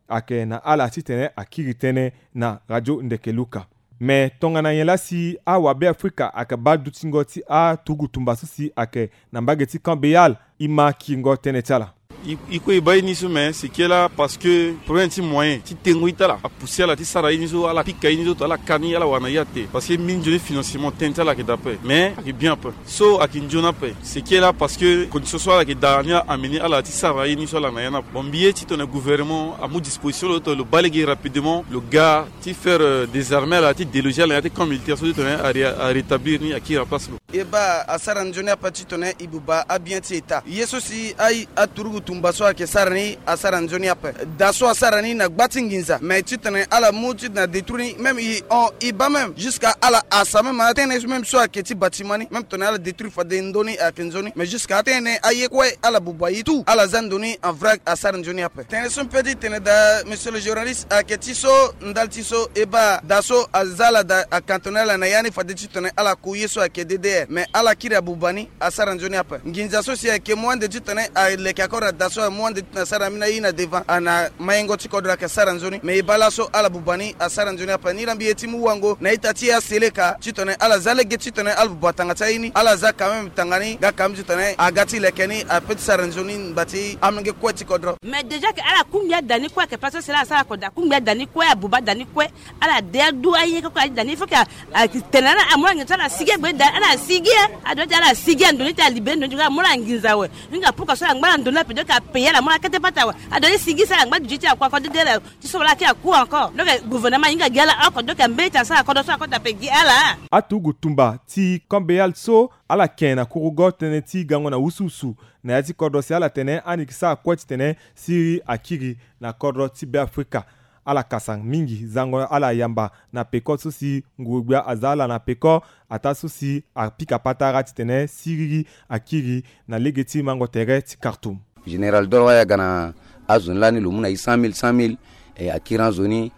Ayeke na ala titene akiri tënë na radio Ndeke Luka. Me tongana nyen laa si awabe Afrika ayeke baa dutingo ti aturugu tumba so si ayeke na mbage ti Camp Beyal, e ma kiringo tënë ti ala. E kue e baa ye ni so, mais seke laa parce que problème ti moyen ti tengo ita ala, apusi ala ti sara ye ni so, ala pika ye ni so to ala ka ni, ala wara na ye ate. Parce que mbeni nzoni financement tënë ti ala ayeke daa ape, mais ayeke bien ape. So ayeke nzoni ape seke laa parce que condition so ala yeke daa ni, ameni ala ti sara ye ni so ala na ya ni ape. Bon, mbi ye ti tene gouvernement amu disposition lo to lo baa lege rapidement lo ga ti faire désarmer ala, ti déloger ala na ya ti camp militaire so ti tene arétablir ni, akiri na place lo. E baa asara nzoni ape ti tene e buba abien ti état. Ye so si aye aturugu tumba so ayeke sara ni, asara nzoni ape. Da so asara ni na gba ti nginza, mais ti tene ala mu ti na détruire ni, même e hon e baa même jusqu'à ala asa même atene même so ayeke ti bâtiment ni, même tene ala détruire fade ndo ni ayeke nzoni, mais jusqu'à atene aye kue ala buba ye tout, ala za ndo ni en vrac, asara nzoni ape. Tënë so mpe ti tene daa, monsieur le journaliste, ayeke ti so ndali ti so e baa da so aza ala da acantonner ala na ya ni fade ti tene ala ku ye so ayeke D D R, mais ala kiri abuba ni, asara nzoni ape. Nginza so si ayeke mu ande ti tene aleke encore na da so amu ande ti tene asara na mbeni aye na devant ana mayengo ti kodro ayeke sara nzoni, mais e baa laso ala buba ni, asara nzoni ape. Ni laa mbi ye ti mu wango na ita ti aseleka ti tene ala za lege ti tene ala buba tanga ti aye ni, ala za quand même tanga ni nga quand même ti tene aga ti leke ni ape ti sara nzoni ngba ti amolenge kue ti kodro. Mais déjà ke ala kungbi ada ni kue, ayeke place so si laa asara oko da, akungbi ada ni kue, abuba ada ni kue. Ala de adu aye koko, ala ti da ni, il faut que a, a, tene ala amu ala nginza so ala sigi agbe da, ala sigi e. Ado ti ala sigi ando ni ti alibe ndo ni ti nga amu ala nginza awe. Hinga pourquoi so ala ngba na ndo ni ape, donc apaye ala, amu ala kete pata awe. Ado ni sigi so ala ngba duti ti akua kodro de ala ti so wala aki aku encore. Donc gouvernement ahinga gi ala oko, donc ambeni ti asara kodro so akota ape gi ala. Aturugu tumba ti Camp Béal so ala ke na kurugo tënë ti gango na wusuwusu na ya ti kodro si ala tene ani yeke sara kue titene siriri akiri na kodro ti Beafrika. Ala kasa mingi zango ala yamba na peko so si nguru-gbia aza ala na peko, ataa so si apika patara titene siriri akiri na lege ti mango tere ti Khartoum. Général Doro Waya aga na azo ni lani lo mu na e cent mille, cent mille, e, akiri azo ni.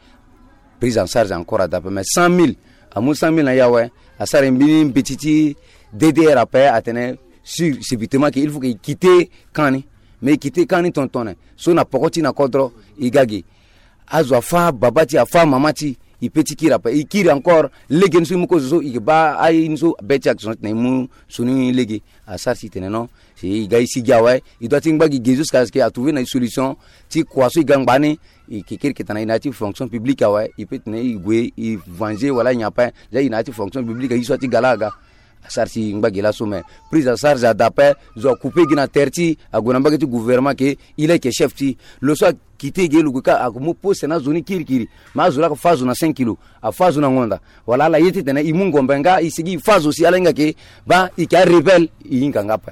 Prise en charge encore ada ape, mais cent mille, amu cent mille na e awe, asara e mbeni mbeti ti D D R ape, atene sur subitement que il faut que e quitter camp ni. Mais e quitter camp ni tongana tongana so na poko ti na kodro e ga ge. Azo afâ baba ti e, afâ mama ti e, e pe ti kiri ape, e kiri encore. Lege ni so e mu kozo so e yeke baa aye ni so be ti action titene e mu sioni lege. Asara si e tene non, si e ga e sigi awe, e doit ti ngba gi ge jusqu'à ce que a trouver na e solution ti kua so e ga ngba ni. E yeke kiri yeke tana e na ya ti fonction publique awe, e pe tene e gue e venger wala nyen ape. Déjà e na ya ti fonction publique aye so a ti ga laa aga. Asara si e ngba gi laso, mais prise en charge ada ape. Zo acouper gi na terre ti e, ague na mbage ti gouvernement que e laa e yeke chef ti e. Lo so akite gi lo gue ka, amu poste na azo ni kirikiri. Mais azo laa ayeke fâ azo na cinq kilos, afâ azo na ngonda. Wala ala ye titene e mu ngombe nga e sigi e fâ azo si ala hinga ke baa e yeke arebelle, e hinga nga ape.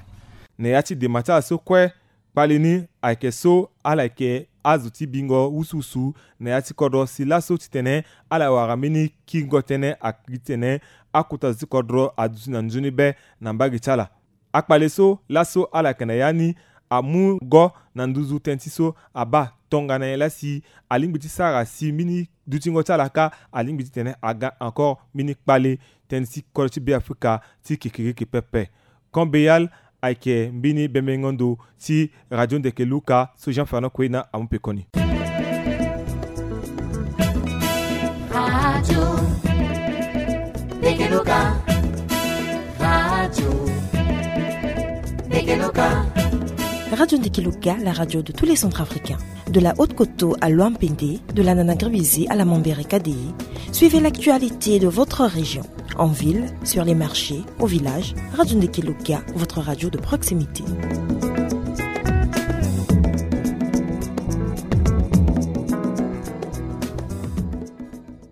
Na ya ti dema ti ala so kue, kpale ni ayeke so ala yeke azo ti bingo wusuwusu na ya ti kodro si laso titene ala wara mbeni kiringo tënë akiri titene akota zo ti kodro aduti na nzoni be na mbage ti ala. Akpale so laso ala yeke na ya ni amu go na nduzu tënë ti so abaa tongana nyen laa si alingbi ti sara si mbeni dutingo ti ala kâ alingbi titene aga encore mbeni kpale tënë ti kodro ti Beafrika ti kekereke pepe. Camp Béal ayeke mbeni bembengo ndo ti Radio Ndeke Luka so Jean Fernand Kwena amu pekoni. Radio Ndeke Luka. Radio Ndeke Luka. Radio Ndeke Luka, la radio de tous les Centrafricains. De la Haute-Koto à Loampende, de la Nana-Gribizé à la Mambere Kadéé, suivez l'actualité de votre région. En ville, sur les marchés, au village, Radio Ndeke Luka, votre radio de proximité.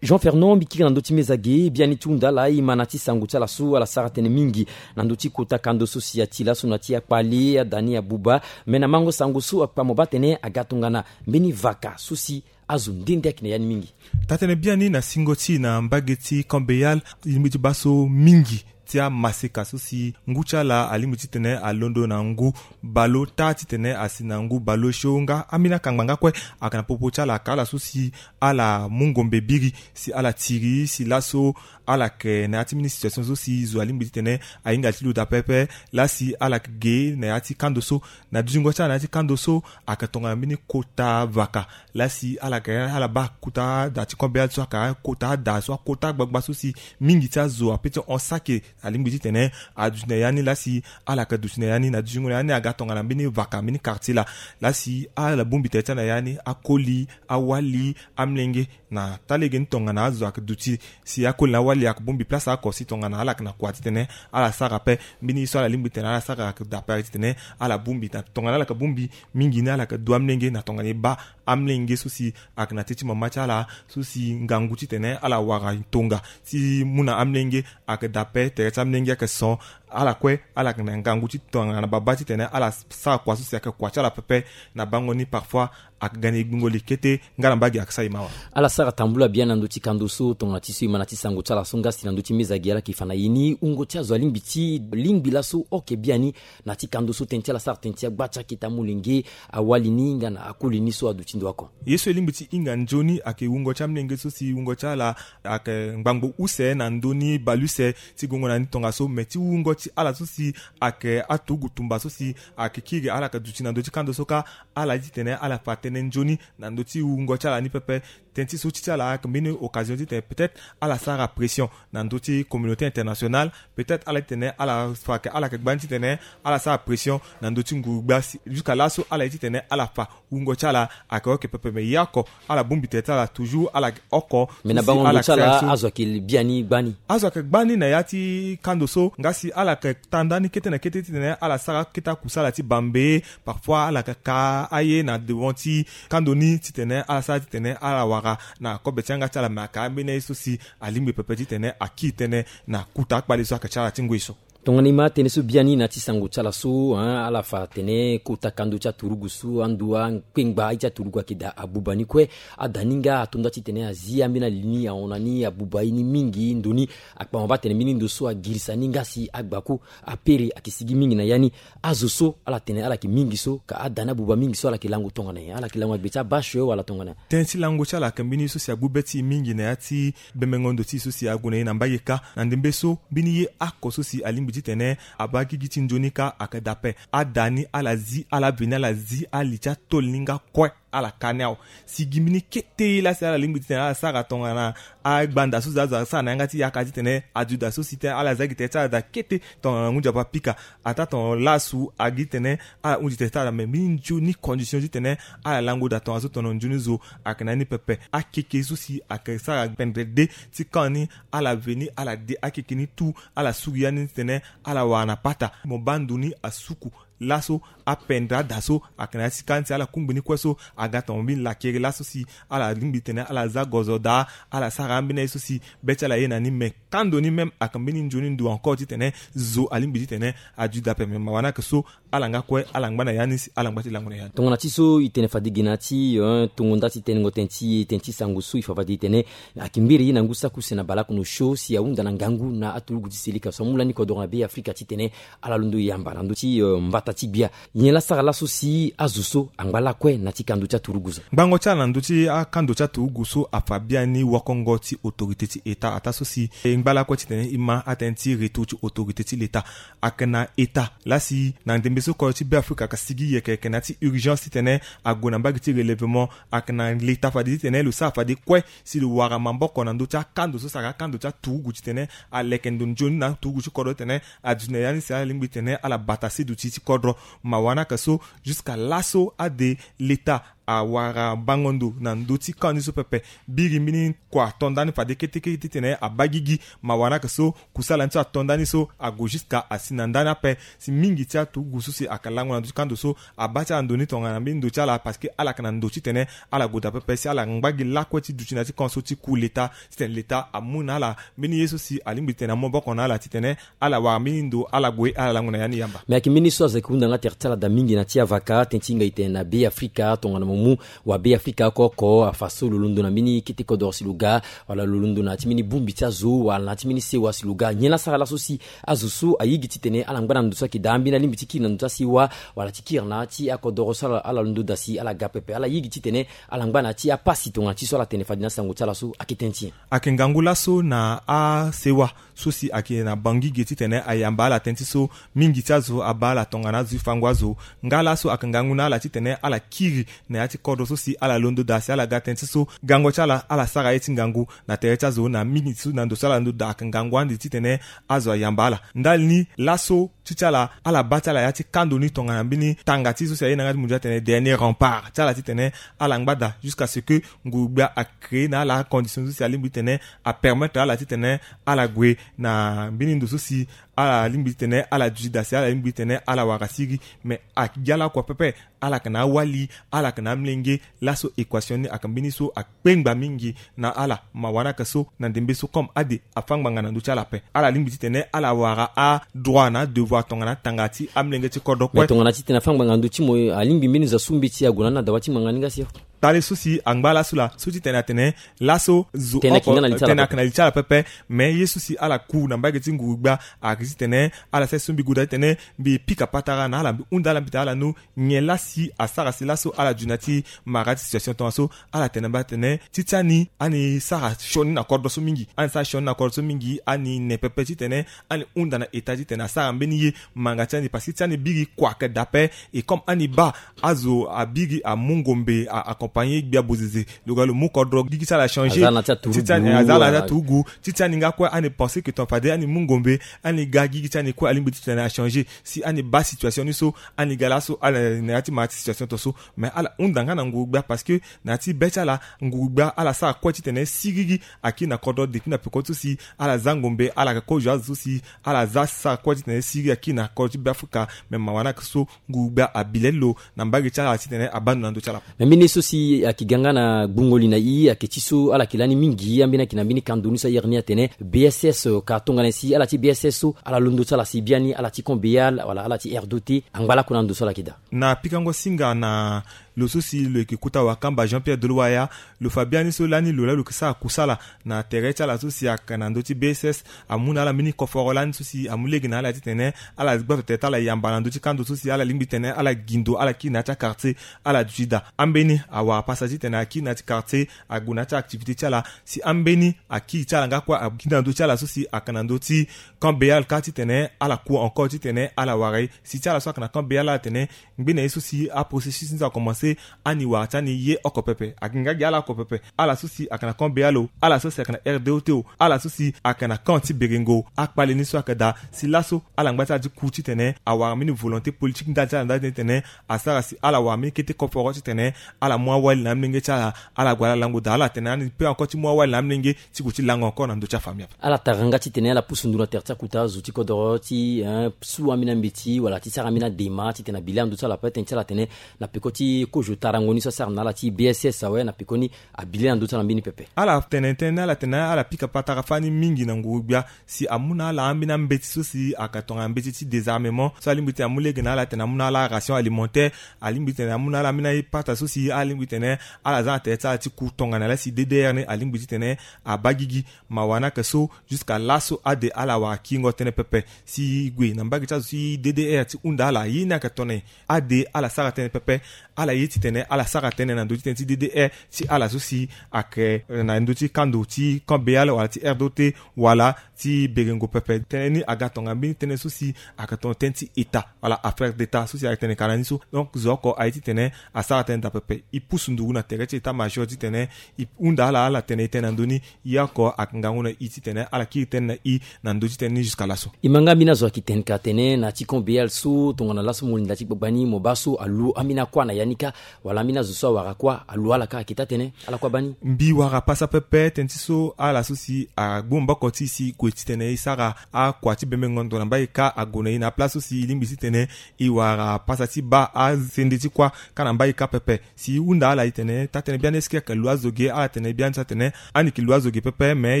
Jean Fernand, mbi kiri na ndö ti meza ge, biani ti hunda ala, e ma na ya ti sango ti ala so ala sara tënë mingi na ndö ti kota kando so si ati laso na ya ti akpale, ada ni abuba. Me na mango sango so akpa mo baa tene aga tongana mbeni vaka so si azo nde nde ayeke na ya ni mingi. Taa-tënë biani na singo ti e na mbage ti Camp Béal, e lingbi ti baa so mingi ti amaseka so si ngu ti ala alingbi titene alondo na ngu baleota titene asi na ngu baleosio nga ambeni akangba nga kue. Ayeke na popo ti ala, aka ala so si ala mu ngombe biri si ala tiri si laso ala yeke na ya ti mbeni situation so si zo alingbi titene ahinga ti loda pepe. Laa si ala yeke ge na ya ti kando so, na dutingo ti ala na ya ti kando so, ayeke tongana mbeni kota vaka. Laa si ala yeke ala baa kota da ti Camp Béal so ayeke kota da so akota gbagba so si mingi ti azo ape ti hon saki Alingbi titene aduti na ya ni lasi ala yeke duti na ya ni na dutingo na ya ni aga tongana mbeni vaka mbeni quartier laa. Lasi ala bongbi tere ti ala na ya ni akoli, awali, amolenge. Na taa lege ni tongana azo ayeke duti si akoli na awali ayeke bongbi place oko si tongana ala yeke na kua titene ala sara ape mbeni ye so ala lingbi titene ala sara ayeke daa ape titene ala bongbi na tongana ala yeke bongbi mingi ni ala yeke du amolenge na tongana e baa amolenge so si ayeke na teti mama ti ala so si ngangu titene ala wara tonga ti mu na amolenge ayeke daa ape. Tere ti amolenge ayeke son. Ala kue ala yeke na ngangu ti tongana babâ titene ala sara kua so si ayeke kua ti ala pepe. Na bango ni parfois ayeke ga na e gbingo li kete nga na mbage ayeke sara e mawa. Ala sara tambula biani na ndö ti kando so tongana ti so e ma na ti sango ti ala so nga si na ndö ti meza gi ala yeke fa na e ni wungo ti azo alingbi ti lingbi laso oke biani na ti kando so tënë ti ala sara tënë ti agba ti akete amolenge, awali ni nga na akoli ni so aduti ndo oko. Ye so e lingbi ti hinga nzoni ayeke wungo ti amolenge so si wungo ti ala ayeke ngbangbo use na ndö ni baleuse ti gongo na ni tongaso me ti wungo ti ala so si ayeke aturugu tumba so si ayeke kiri ala yeke duti na ndö ti kando so kâ. Ala ye titene ala fa tënë nzoni na ndö ti wungo ti ala ni pepe. Tënë ti so ti ti ala ayeke mbeni occasion titene peut-être ala sara pression na ndö ti communauté internationale. Peut-être ala titene ala fa yeke ala yeke gba ni titene ala sara pression na ndö ti nguru-gbia si jusqu'à laso ala ye titene ala fa wungo ti ala ayeke oke pepe me ye oko ala bongbi tere ti ala toujours ala yeke oko. Mais na bango ndo ti ala azo ayeke biani gbani. Azo ayeke gbani na ya ti kando so nga si ala yeke ta ndani kete na kete titene ala sara akete akusala ti bambe. Parfois ala yeke ka aye na devant ti kando ni titene ala sara titene ala wara na kobe ti yanga ti ala me ayeke ambeni aye so si alingbi pepe titene akiri tënë na kuta akpale so ayeke ti ala ti ngoi so. Tongana e ma atënë so biani na ti sango ti ala so, ala fa atene kota kando ti aturugu so ando akpengba aye ti aturugu ayeke daa abuba ni kue. Ada ni nga ato nda titene azi ambeni ali ni ahon na ni abuba ye ni mingi ndo ni. Akpama baa atene mbeni ndo so agirisa ni nga si agbaku apere ayeke sigi mingi na ya ni. Azo so ala tene ala yeke mingi so ka ada ni abuba mingi so ala yeke lango tongana nyen? Ala yeke lango na gbe ti abashe wala tongana nyen? Tënë ti lango ti ala ayeke mbeni ye so si agbu be ti e mingi na ya ti bemengo ndo ti e so si ague na e na mbage kâ. Na ndembe so mbeni ye oko so si alingbi titene abaa gigi ti nzoni kâ ayeke daa ape. Ada ni ala zi ala veni ala zi ali ti atôle ni nga kue. Ala ka ni awe. Si gi mbeni kete ye laa si ala lingbi titene ala sara tongana agbanda so si azo asara na yanga ti yaka titene aduda so si tene ala za gi tere ti ala daa kete tongana ngu nzapa pika. Ataa tongana lasu agi tene ala hunzi tere ti ala me mbeni nzoni condition titene ala lango daa tongaso tongana nzoni zo ayeke na ni pepe. Akeke so si ayeke sara pendere de ti kan ni ala veni ala de akeke ni tout. Ala suru ya ni titene ala wara na pata mo baa ndo ni asuku. Laso apendre ada so ayeke na ya ti kâ ni si ala kungbi ni kue so aga tongana mbeni lakere laso si ala lingbi tene ala za gozo daa. Ala sara ambeni aye so si be ti ala aye na ni me kando ni même ayeke mbeni nzoni ndo encore titene zo alingbi titene adu daa ape me mawa ni ayeke so. Ala nga kue ala ngba na ya ni si ala ngba ti lango na ya ni. Tongana ti so e tene fade gi na ya ti tongo nda ti tenengo tënë ti e tënë ti sango so e fa fade e tene ayeke mbiri ye na ngu saki use na baleoko na osio si ahunda na ngangu na aturugu ti selika so amu lani kodoro na be afrika titene ala londo yamba na ndö ti mbata ti gbia. Nyen laa sara laso si azo so angba lakue na ti kando ti aturugu zo? Ngbango ti ala na ndö ti akando ti aturugu so afa biani wokongo ti autorité ti état ataa so si e ngba lakue titene e ma atënë ti retour ti autorité ti l'état. Ayeke na état laa si na ndembe so kodro ti be afrika ayeke sigi yeke yeke na ya ti urgence titene ague na mbage ti relèvement. Ayeke na l'état fade titene lo sara fade kue si lo wara maboko na ndö ti akando so si ayeke akando ti aturugu titene aleke ndo nzoni na aturugu ti kodro titene aduti na ya ni si ala lingbi titene ala bata seduti ti kodro. Mawa ni ayeke so jusqu'à laso ade l'état awara bango ndo na ndö ti kâ ni so pepe. Biri mbeni kua to ndani fade ketekete titene abaa gigi. Mawa ni ayeke so kusala ni so ato ndani so ague jusqu'à asi na ndani ape. Si mingi ti aturugu so si ayeke lango na ndö ti kando so abaa ti ala ndo ni tongana mbeni ndo ti ala parce que ala yeke na ndo titene ala gue daa pepe si ala ngba gi lakue ti duti na ya ti kan so ti ku l'état titene l'état amu na ala mbeni ye so si alingbi titene amu maboko na ala titene ala wara mbeni ndo ala gue ala lango na ya ni yamba. Me ayeke mbeni so azo ayeke hunda nga tere ti ala daa mingi na ti avaka tënë ti hinga e tene na be afrika tongana mo mu wa be afrika oko oko afa so lo londo na mbeni kete kodoro si lo ga wala lo londo na ya ti mbeni bongbi ti azo wala na ya ti mbeni sewa si lo ga nyen laa sara laso si azo so aye gi titene ala ngba na ndo so ayeke daa ambeni alingbi ti kiri na ndo ti asewa wala ti kiri na ya ti akodoro so ala londo daa si ala ga pepe ala ye gi titene ala ngba na ya ti apasi tongana ti so ala tene fade na asango ti ala so ayeke tënë ti nyen? Ayeke ngangu laso na asewa so si ayeke na bangi ge titene ayamba ala tënë ti so mingi ti azo abaa ala tongana azo ti fango azo. Nga laso ayeke ngangu na ala titene ala kiri na ya ti kodro so si ala londo daa si ala ga tënë ti so gango ti ala ala sara ye ti ngangu na tere ti azo na mingi so na ndo so ala londo daa ayeke ngangu ande titene azo ayamba ala. Ndali ni laso ti ti ala ala baa ti ala ya ti kando ni tongana mbeni tanga ti so si aye na yanga ti mundu atene dernier rempart ti ala titene ala ngba daa jusqu'à ce que nguru-gbia acréer na ala acondition so si alingbi titene apermettre ala titene ala gue na mbeni ndo so si ala lingbi titene ala duti daa si ala lingbi titene ala wara siriri. Mais agi ala oko pepe, ala yeke na awali, ala yeke na amolenge. Laso équation ni ayeke mbeni so akpengba mingi na ala. Mawa ni ayeke so na ndembe so comme ade afa ngbanga na ndö ti ala ape, ala lingbi titene ala wara adroit na adevoir tongana atanga ti amolenge ti kodro kue. Mais tongana titene afa ngbanga na ndö ti mo, alingbi mbeni zo asu mbeti ague na ni na dawa ti ngbanga ni nga si. Tale so si angba laso laa so titene atene laso zo oko tene ayeke na li ti ala pepe. Mais ye so si ala ku na mbage ti nguru-gbia ayeke titene ala sara so mbi goda titene mbi pika patara na ala, mbi hunda ala, mbi tene ala no nyen laa si asara si laso ala duti na ya ti mara ti situation tongaso. Ala tene na mbi atene ti ti ani ani sara sioni na kodro so mingi, ani sara sioni na kodro so mingi, ani ne pepe titene ani hunda na état titene asara mbeni ye manga ti ani parce que ti ti ani biri kua ayeke daa ape. Et comme ani baa azo abiri amu ngombe a accompagner gbia bozeze, lo ga lo mu kodro gigi ti ala achanger. Ti ti ani aza na ya ti aturugu. Ti ti ani nga kue ani pense que ton fade ani mu ngombe, ani ga gigi ti ani kue alingbi titene achanger. Si ani baa situation ni so, ani ga laso ala na ya ti mara ti situation tongaso. Mais ala hunda nga na nguru-gbia parce que na ya ti be ti ala nguru-gbia ala sara kue titene siriri akiri na kodro depuis na peko ti so si ala za ngombe, ala yeke kozo azo so si ala za sara kue titene siriri akiri na kodro ti Beafrika. Mais mawa ni ayeke so nguru-gbia abi lele lo na mbage ti ala titene abaa ndo na ndö ti ala. Me mbeni so si ayeke ga nga na gbungo li na i ayeke ti so ala yeke lani mingi ambeni ayeke na mbeni kando ni so airi ni atene B S S, ka tongana si ala ti B S S so ala londo ti ala si biani ala ti Camp Béal wala ala ti R D O T angba lakue na ndo so ala yeke daa. Na pikango singa na lo so si lo yeke kota wakamba Jean-Pierre Doloaya, lo fa biani so lani lo laa lo yeke sara kusala na tere ti ala so si ayeke na ndö ti B S S. Amu na ala mbeni koforo lani so si amu lege na ala titene ala gbato tere ti ala yamba na ndö ti kando so si ala lingbi titene ala gi ndo ala kiri na ya ti akartier. Ala duti daa ambeni awara pasa titene akiri na ya ti kartier, ague na ya ti activité ti ala. Si ambeni akiri ti ala nga kue akiri na ndö ti ala so si ayeke na ndö ti Camp Béal kâ titene ala ku encore titene ala wara ye. Si ti ala so ayeke na Camp Béal ala tene ngbene ye so si aprocessus ni so akomanse, ani wara ti ani ye oko pepe. Ayeke nga gi ala oko pepe, ala so si ayeke na Camp Béal o, ala so si ayeke na R D O T o, ala so si ayeke na camp ti Berengo. Akpale ni so ayeke daa si laso ala ngba ti ala ti ku titene awara mbeni volonté politique ndali ti ala ndali titene asara si ala wara mbeni kete koforo titene ala mu awali na amolenge ti ala, ala gue ala lango daa. Ala tene ani pe encore ti mu awali na amolenge ti gue ti lango encore na ndö ti afamille ape. Ala tara nga titene ala pusu nduru na tere ti akuta zo ti kodoro ti, eh, su ambeni ambeti wala ti sara ambeni adema titene abi le na ndö ti ala ape. Tënë ti ala atene na peko ti kozo tarango ni so asara na ala ti B S S awe, na peko ni abi le na ndö ti ala mbeni pepe. Ala tene tënë ni ala tene ala pika patara fani mingi na nguru-gbia si amu na ala ambeni ambeti so si ayeke tongana mbeti ti désarmement so alingbi titene amu lege na ala tene amu na ala ration alimentaire. Alingbi titene amu na ala ambeni apata so si alingbi titene ala za na tere ti ala ti ku tongana laa si D D R ni alingbi titene abaa gigi. Mawa ni ayeke so jusqu'à laso ade ala wara kiringo tënë pepe. Si e gue na mbage ti azo ti D D R ti hunda ala ye ni ayeke tongana nyen, ade ala sara tënë pepe. Ala ye titene ala sara tënë na ndö ti tënë ti D D R ti ala so si ayeke, eh, na ndö ti kando ti Camp Béal wala ti R D O T wala ti Berengo pepe. Tënë ni aga tongana mbeni tënë so si ayeke tongana tënë ti état wala affaire d'état so si ayeke tene ka na ni so. Donc zo oko aye titene asara tënë daa pepe. E pusu nduru na tere ti état major titene e hunda ala, ala tene e tene na ndö ni. Ye oko ayeke ngangu na e titene ala kiri tënë na e na ndö ti tënë ni jusqu'à laso. E ma nga ambeni azo ayeke tene ka atene na ti Camp Béal so tongana laso mo linda ti gbagba ni mo baa so alu ambeni akuâ na ya ni kâ, wala ambeni azo so awara kuâ alu ala kâ, ayeke taa tënë ala kue abaa ni. Mbi wara pasa pepe tënë ti so ala so si agbu maboko ti e si e gue titene e sara akua ti bembengo ndo na mbage kâ ague na e na aplace so si e lingbi titene e wara pasa ti baa asende ti kuâ kâ na mbage kâ pepe. Si e hunda ala e tene taa tënë biani est-ce que ayeke lu azo ge? Ala tene biani so atene ani yeke lu azo ge pepe, me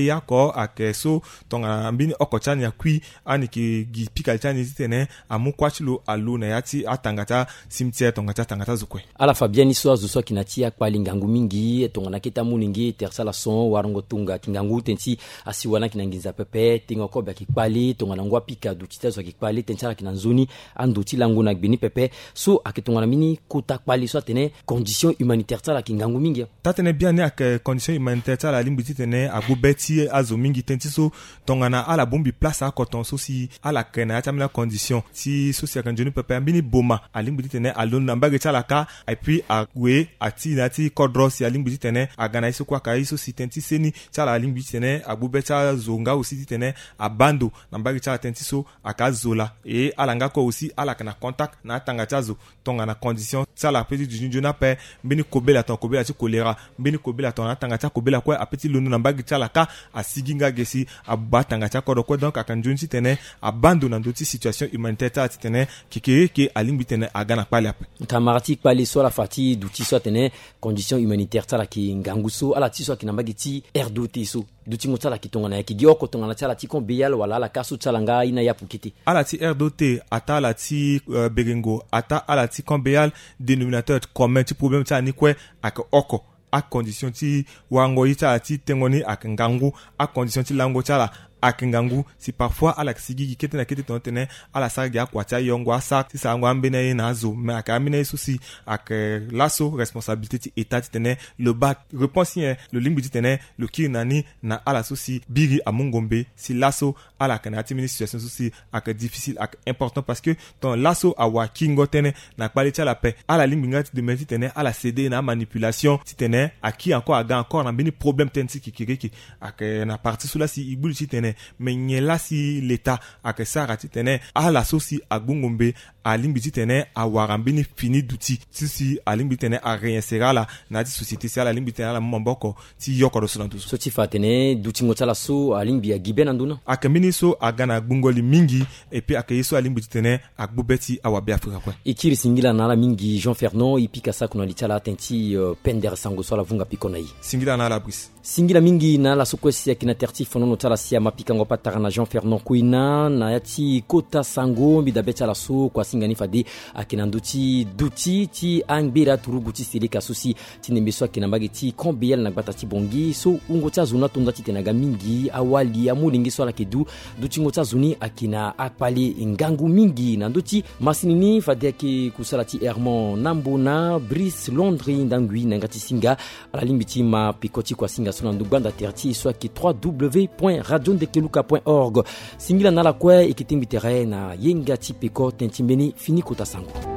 ye oko ayeke so tongana mbeni oko ti ani akui, ani yeke gi pika li ti ani titene amu kuâ ti lo alu na ya ti atanga ti acimetière tongana ti atanga ti azo kue. Ala fa biani so azo so ayeke na ti akpali ngangu mingi tongana akete amolenge, tere ti ala son, warango tonga, yeke ngangu tënë ti asiwa ni ayeke na nginza pepe, tengo kobe ayeke kpali tongana ngu apika duti ti azo ayeke kpali, tënë ti ala ayeke na nzoni, ando ti lango na gbe ni pepe. So ayeke tongana mbeni kota kpali so atene condition humanitaire ti ala ayeke ngangu mingi. Taa tënë biani ayeke condition humanitaire ti ala alingbi titene agbu be ti azo mingi tënë ti so tongana ala bongbi place oko tongaso si ala yeke na ya ti ambeni acondition ti so si ayeke nzoni pepe, mbeni boma alingbi titene alondo na mbage ti ala kâ. Et puis ague ati na ya ti kodro si alingbi titene aga na ye so kue aka ye so si tënë ti seni ti ala alingbi titene agbu be ti azo nga aussi titene abando na mbage ti ala tënë ti so aka zola. E ala nga kue aussi ala yeke na contact na atanga ti azo tongana condition ti ala ape ti duti nzoni ape. Mbeni kobela tongana kobela ti kolera, mbeni kobela tongana atanga ti akobela kue ape ti londo na mbage ti ala kâ. Asigi nga ge si abuba atanga ti akodro kue. Donc aka nzoni titene abando na ndö ti situation humanitaire ti ala titene kekereke alingbi titene aga na kpale ape. Kamara ti kpale so ala fa ti duti so atene condition humanitaire ti ala ayeke ngangu so ala ti so ayeke na mbage ti R D O T so dutingo ti ala ayeke tongana nyen? Ayeke gi oko tongana ti ala ti Camp Béal wala ala kâ so ti ala nga aye ni apu kete? Ala ti R D O T ataa ala ti, euh, Begengo ataa ala ti Camp Béal, dénominateur commun ti problème ti ala ni kue ayeke oko. Acondition ti warango ye ti ala ti tengo ni ayeke ngangu. Acondition ti lango ti ala ayeke ngangu. Si parfois ala yeke sigi gi kete na kete tongana titene ala sara gi akua ti ayongo asara ti sarango ambeni aye na azo, me ayeke ambeni aye so si ayeke laso responsabilité ti État titene lo baa réponse nyen. Lo lingbi titene lo kiri na ni na ala so si biri amu ngombe si laso ala yeke na ya ti mbeni situation so si ayeke difficile, ayeke important parce que tongana laso awara kiringo tënë na kpale ti ala ape, ala lingbi nga ti demande titene ala céder na amanipulation titene akiri encore aga encore na mbeni problème tënë ti kekereke. Ayeke na parti so laa si e gbu li titene me nyen laa si l'État ayeke sara titene ala so si agbu ngombe alingbi titene awara mbeni fini duti ti si alingbi titene aréinsérer ala na ya ti société si ala lingbi titene ala mu maboko ti yokoro so na ndo so. So ti fa atene dutingo ti ala so alingbi agi be na ndö ni? Ayeke mbeni so aga na gbungo li mingi. Et puis ayeke ye so alingbi titene agbu be ti awabe Afrika kue. E kiri singila na ala mingi Jean Fernand, e pika sako na li ti ala atene ti, euh, pendere sango so ala vunga peko na e. Singila na ala Brice. Singila mingi na ala so kue si ayeke na tere ti fonono ti ala si ama pikango patara na Jean Fernand Koina na ya ti kota sango mbi dabe ti ala so kua singa ni fade ayeke na ndö ti duti ti angbera turugu ti seleka so si ti ndembe so ayeke na mbage ti Camp Béal na gbata ti Bangui so wungo ti azo ni ato nda titene aga mingi awali amolenge so ala yeke du. Dutingo ti azo ni ayeke na akpale ngangu mingi na ndö ti masini ni fade ayeke kusala ti Hermon Nambo na Brice Londre Ndangui na yanga ti singa. Ala lingbi ti ma peko ti kua singa so na ndö gbanda tere ti e so ayeke trois W point radio ndekeluka point org. Singila na ala kue, e yeke tengbi tere na yenga ti peko tënë ti mbeni fini kota sango.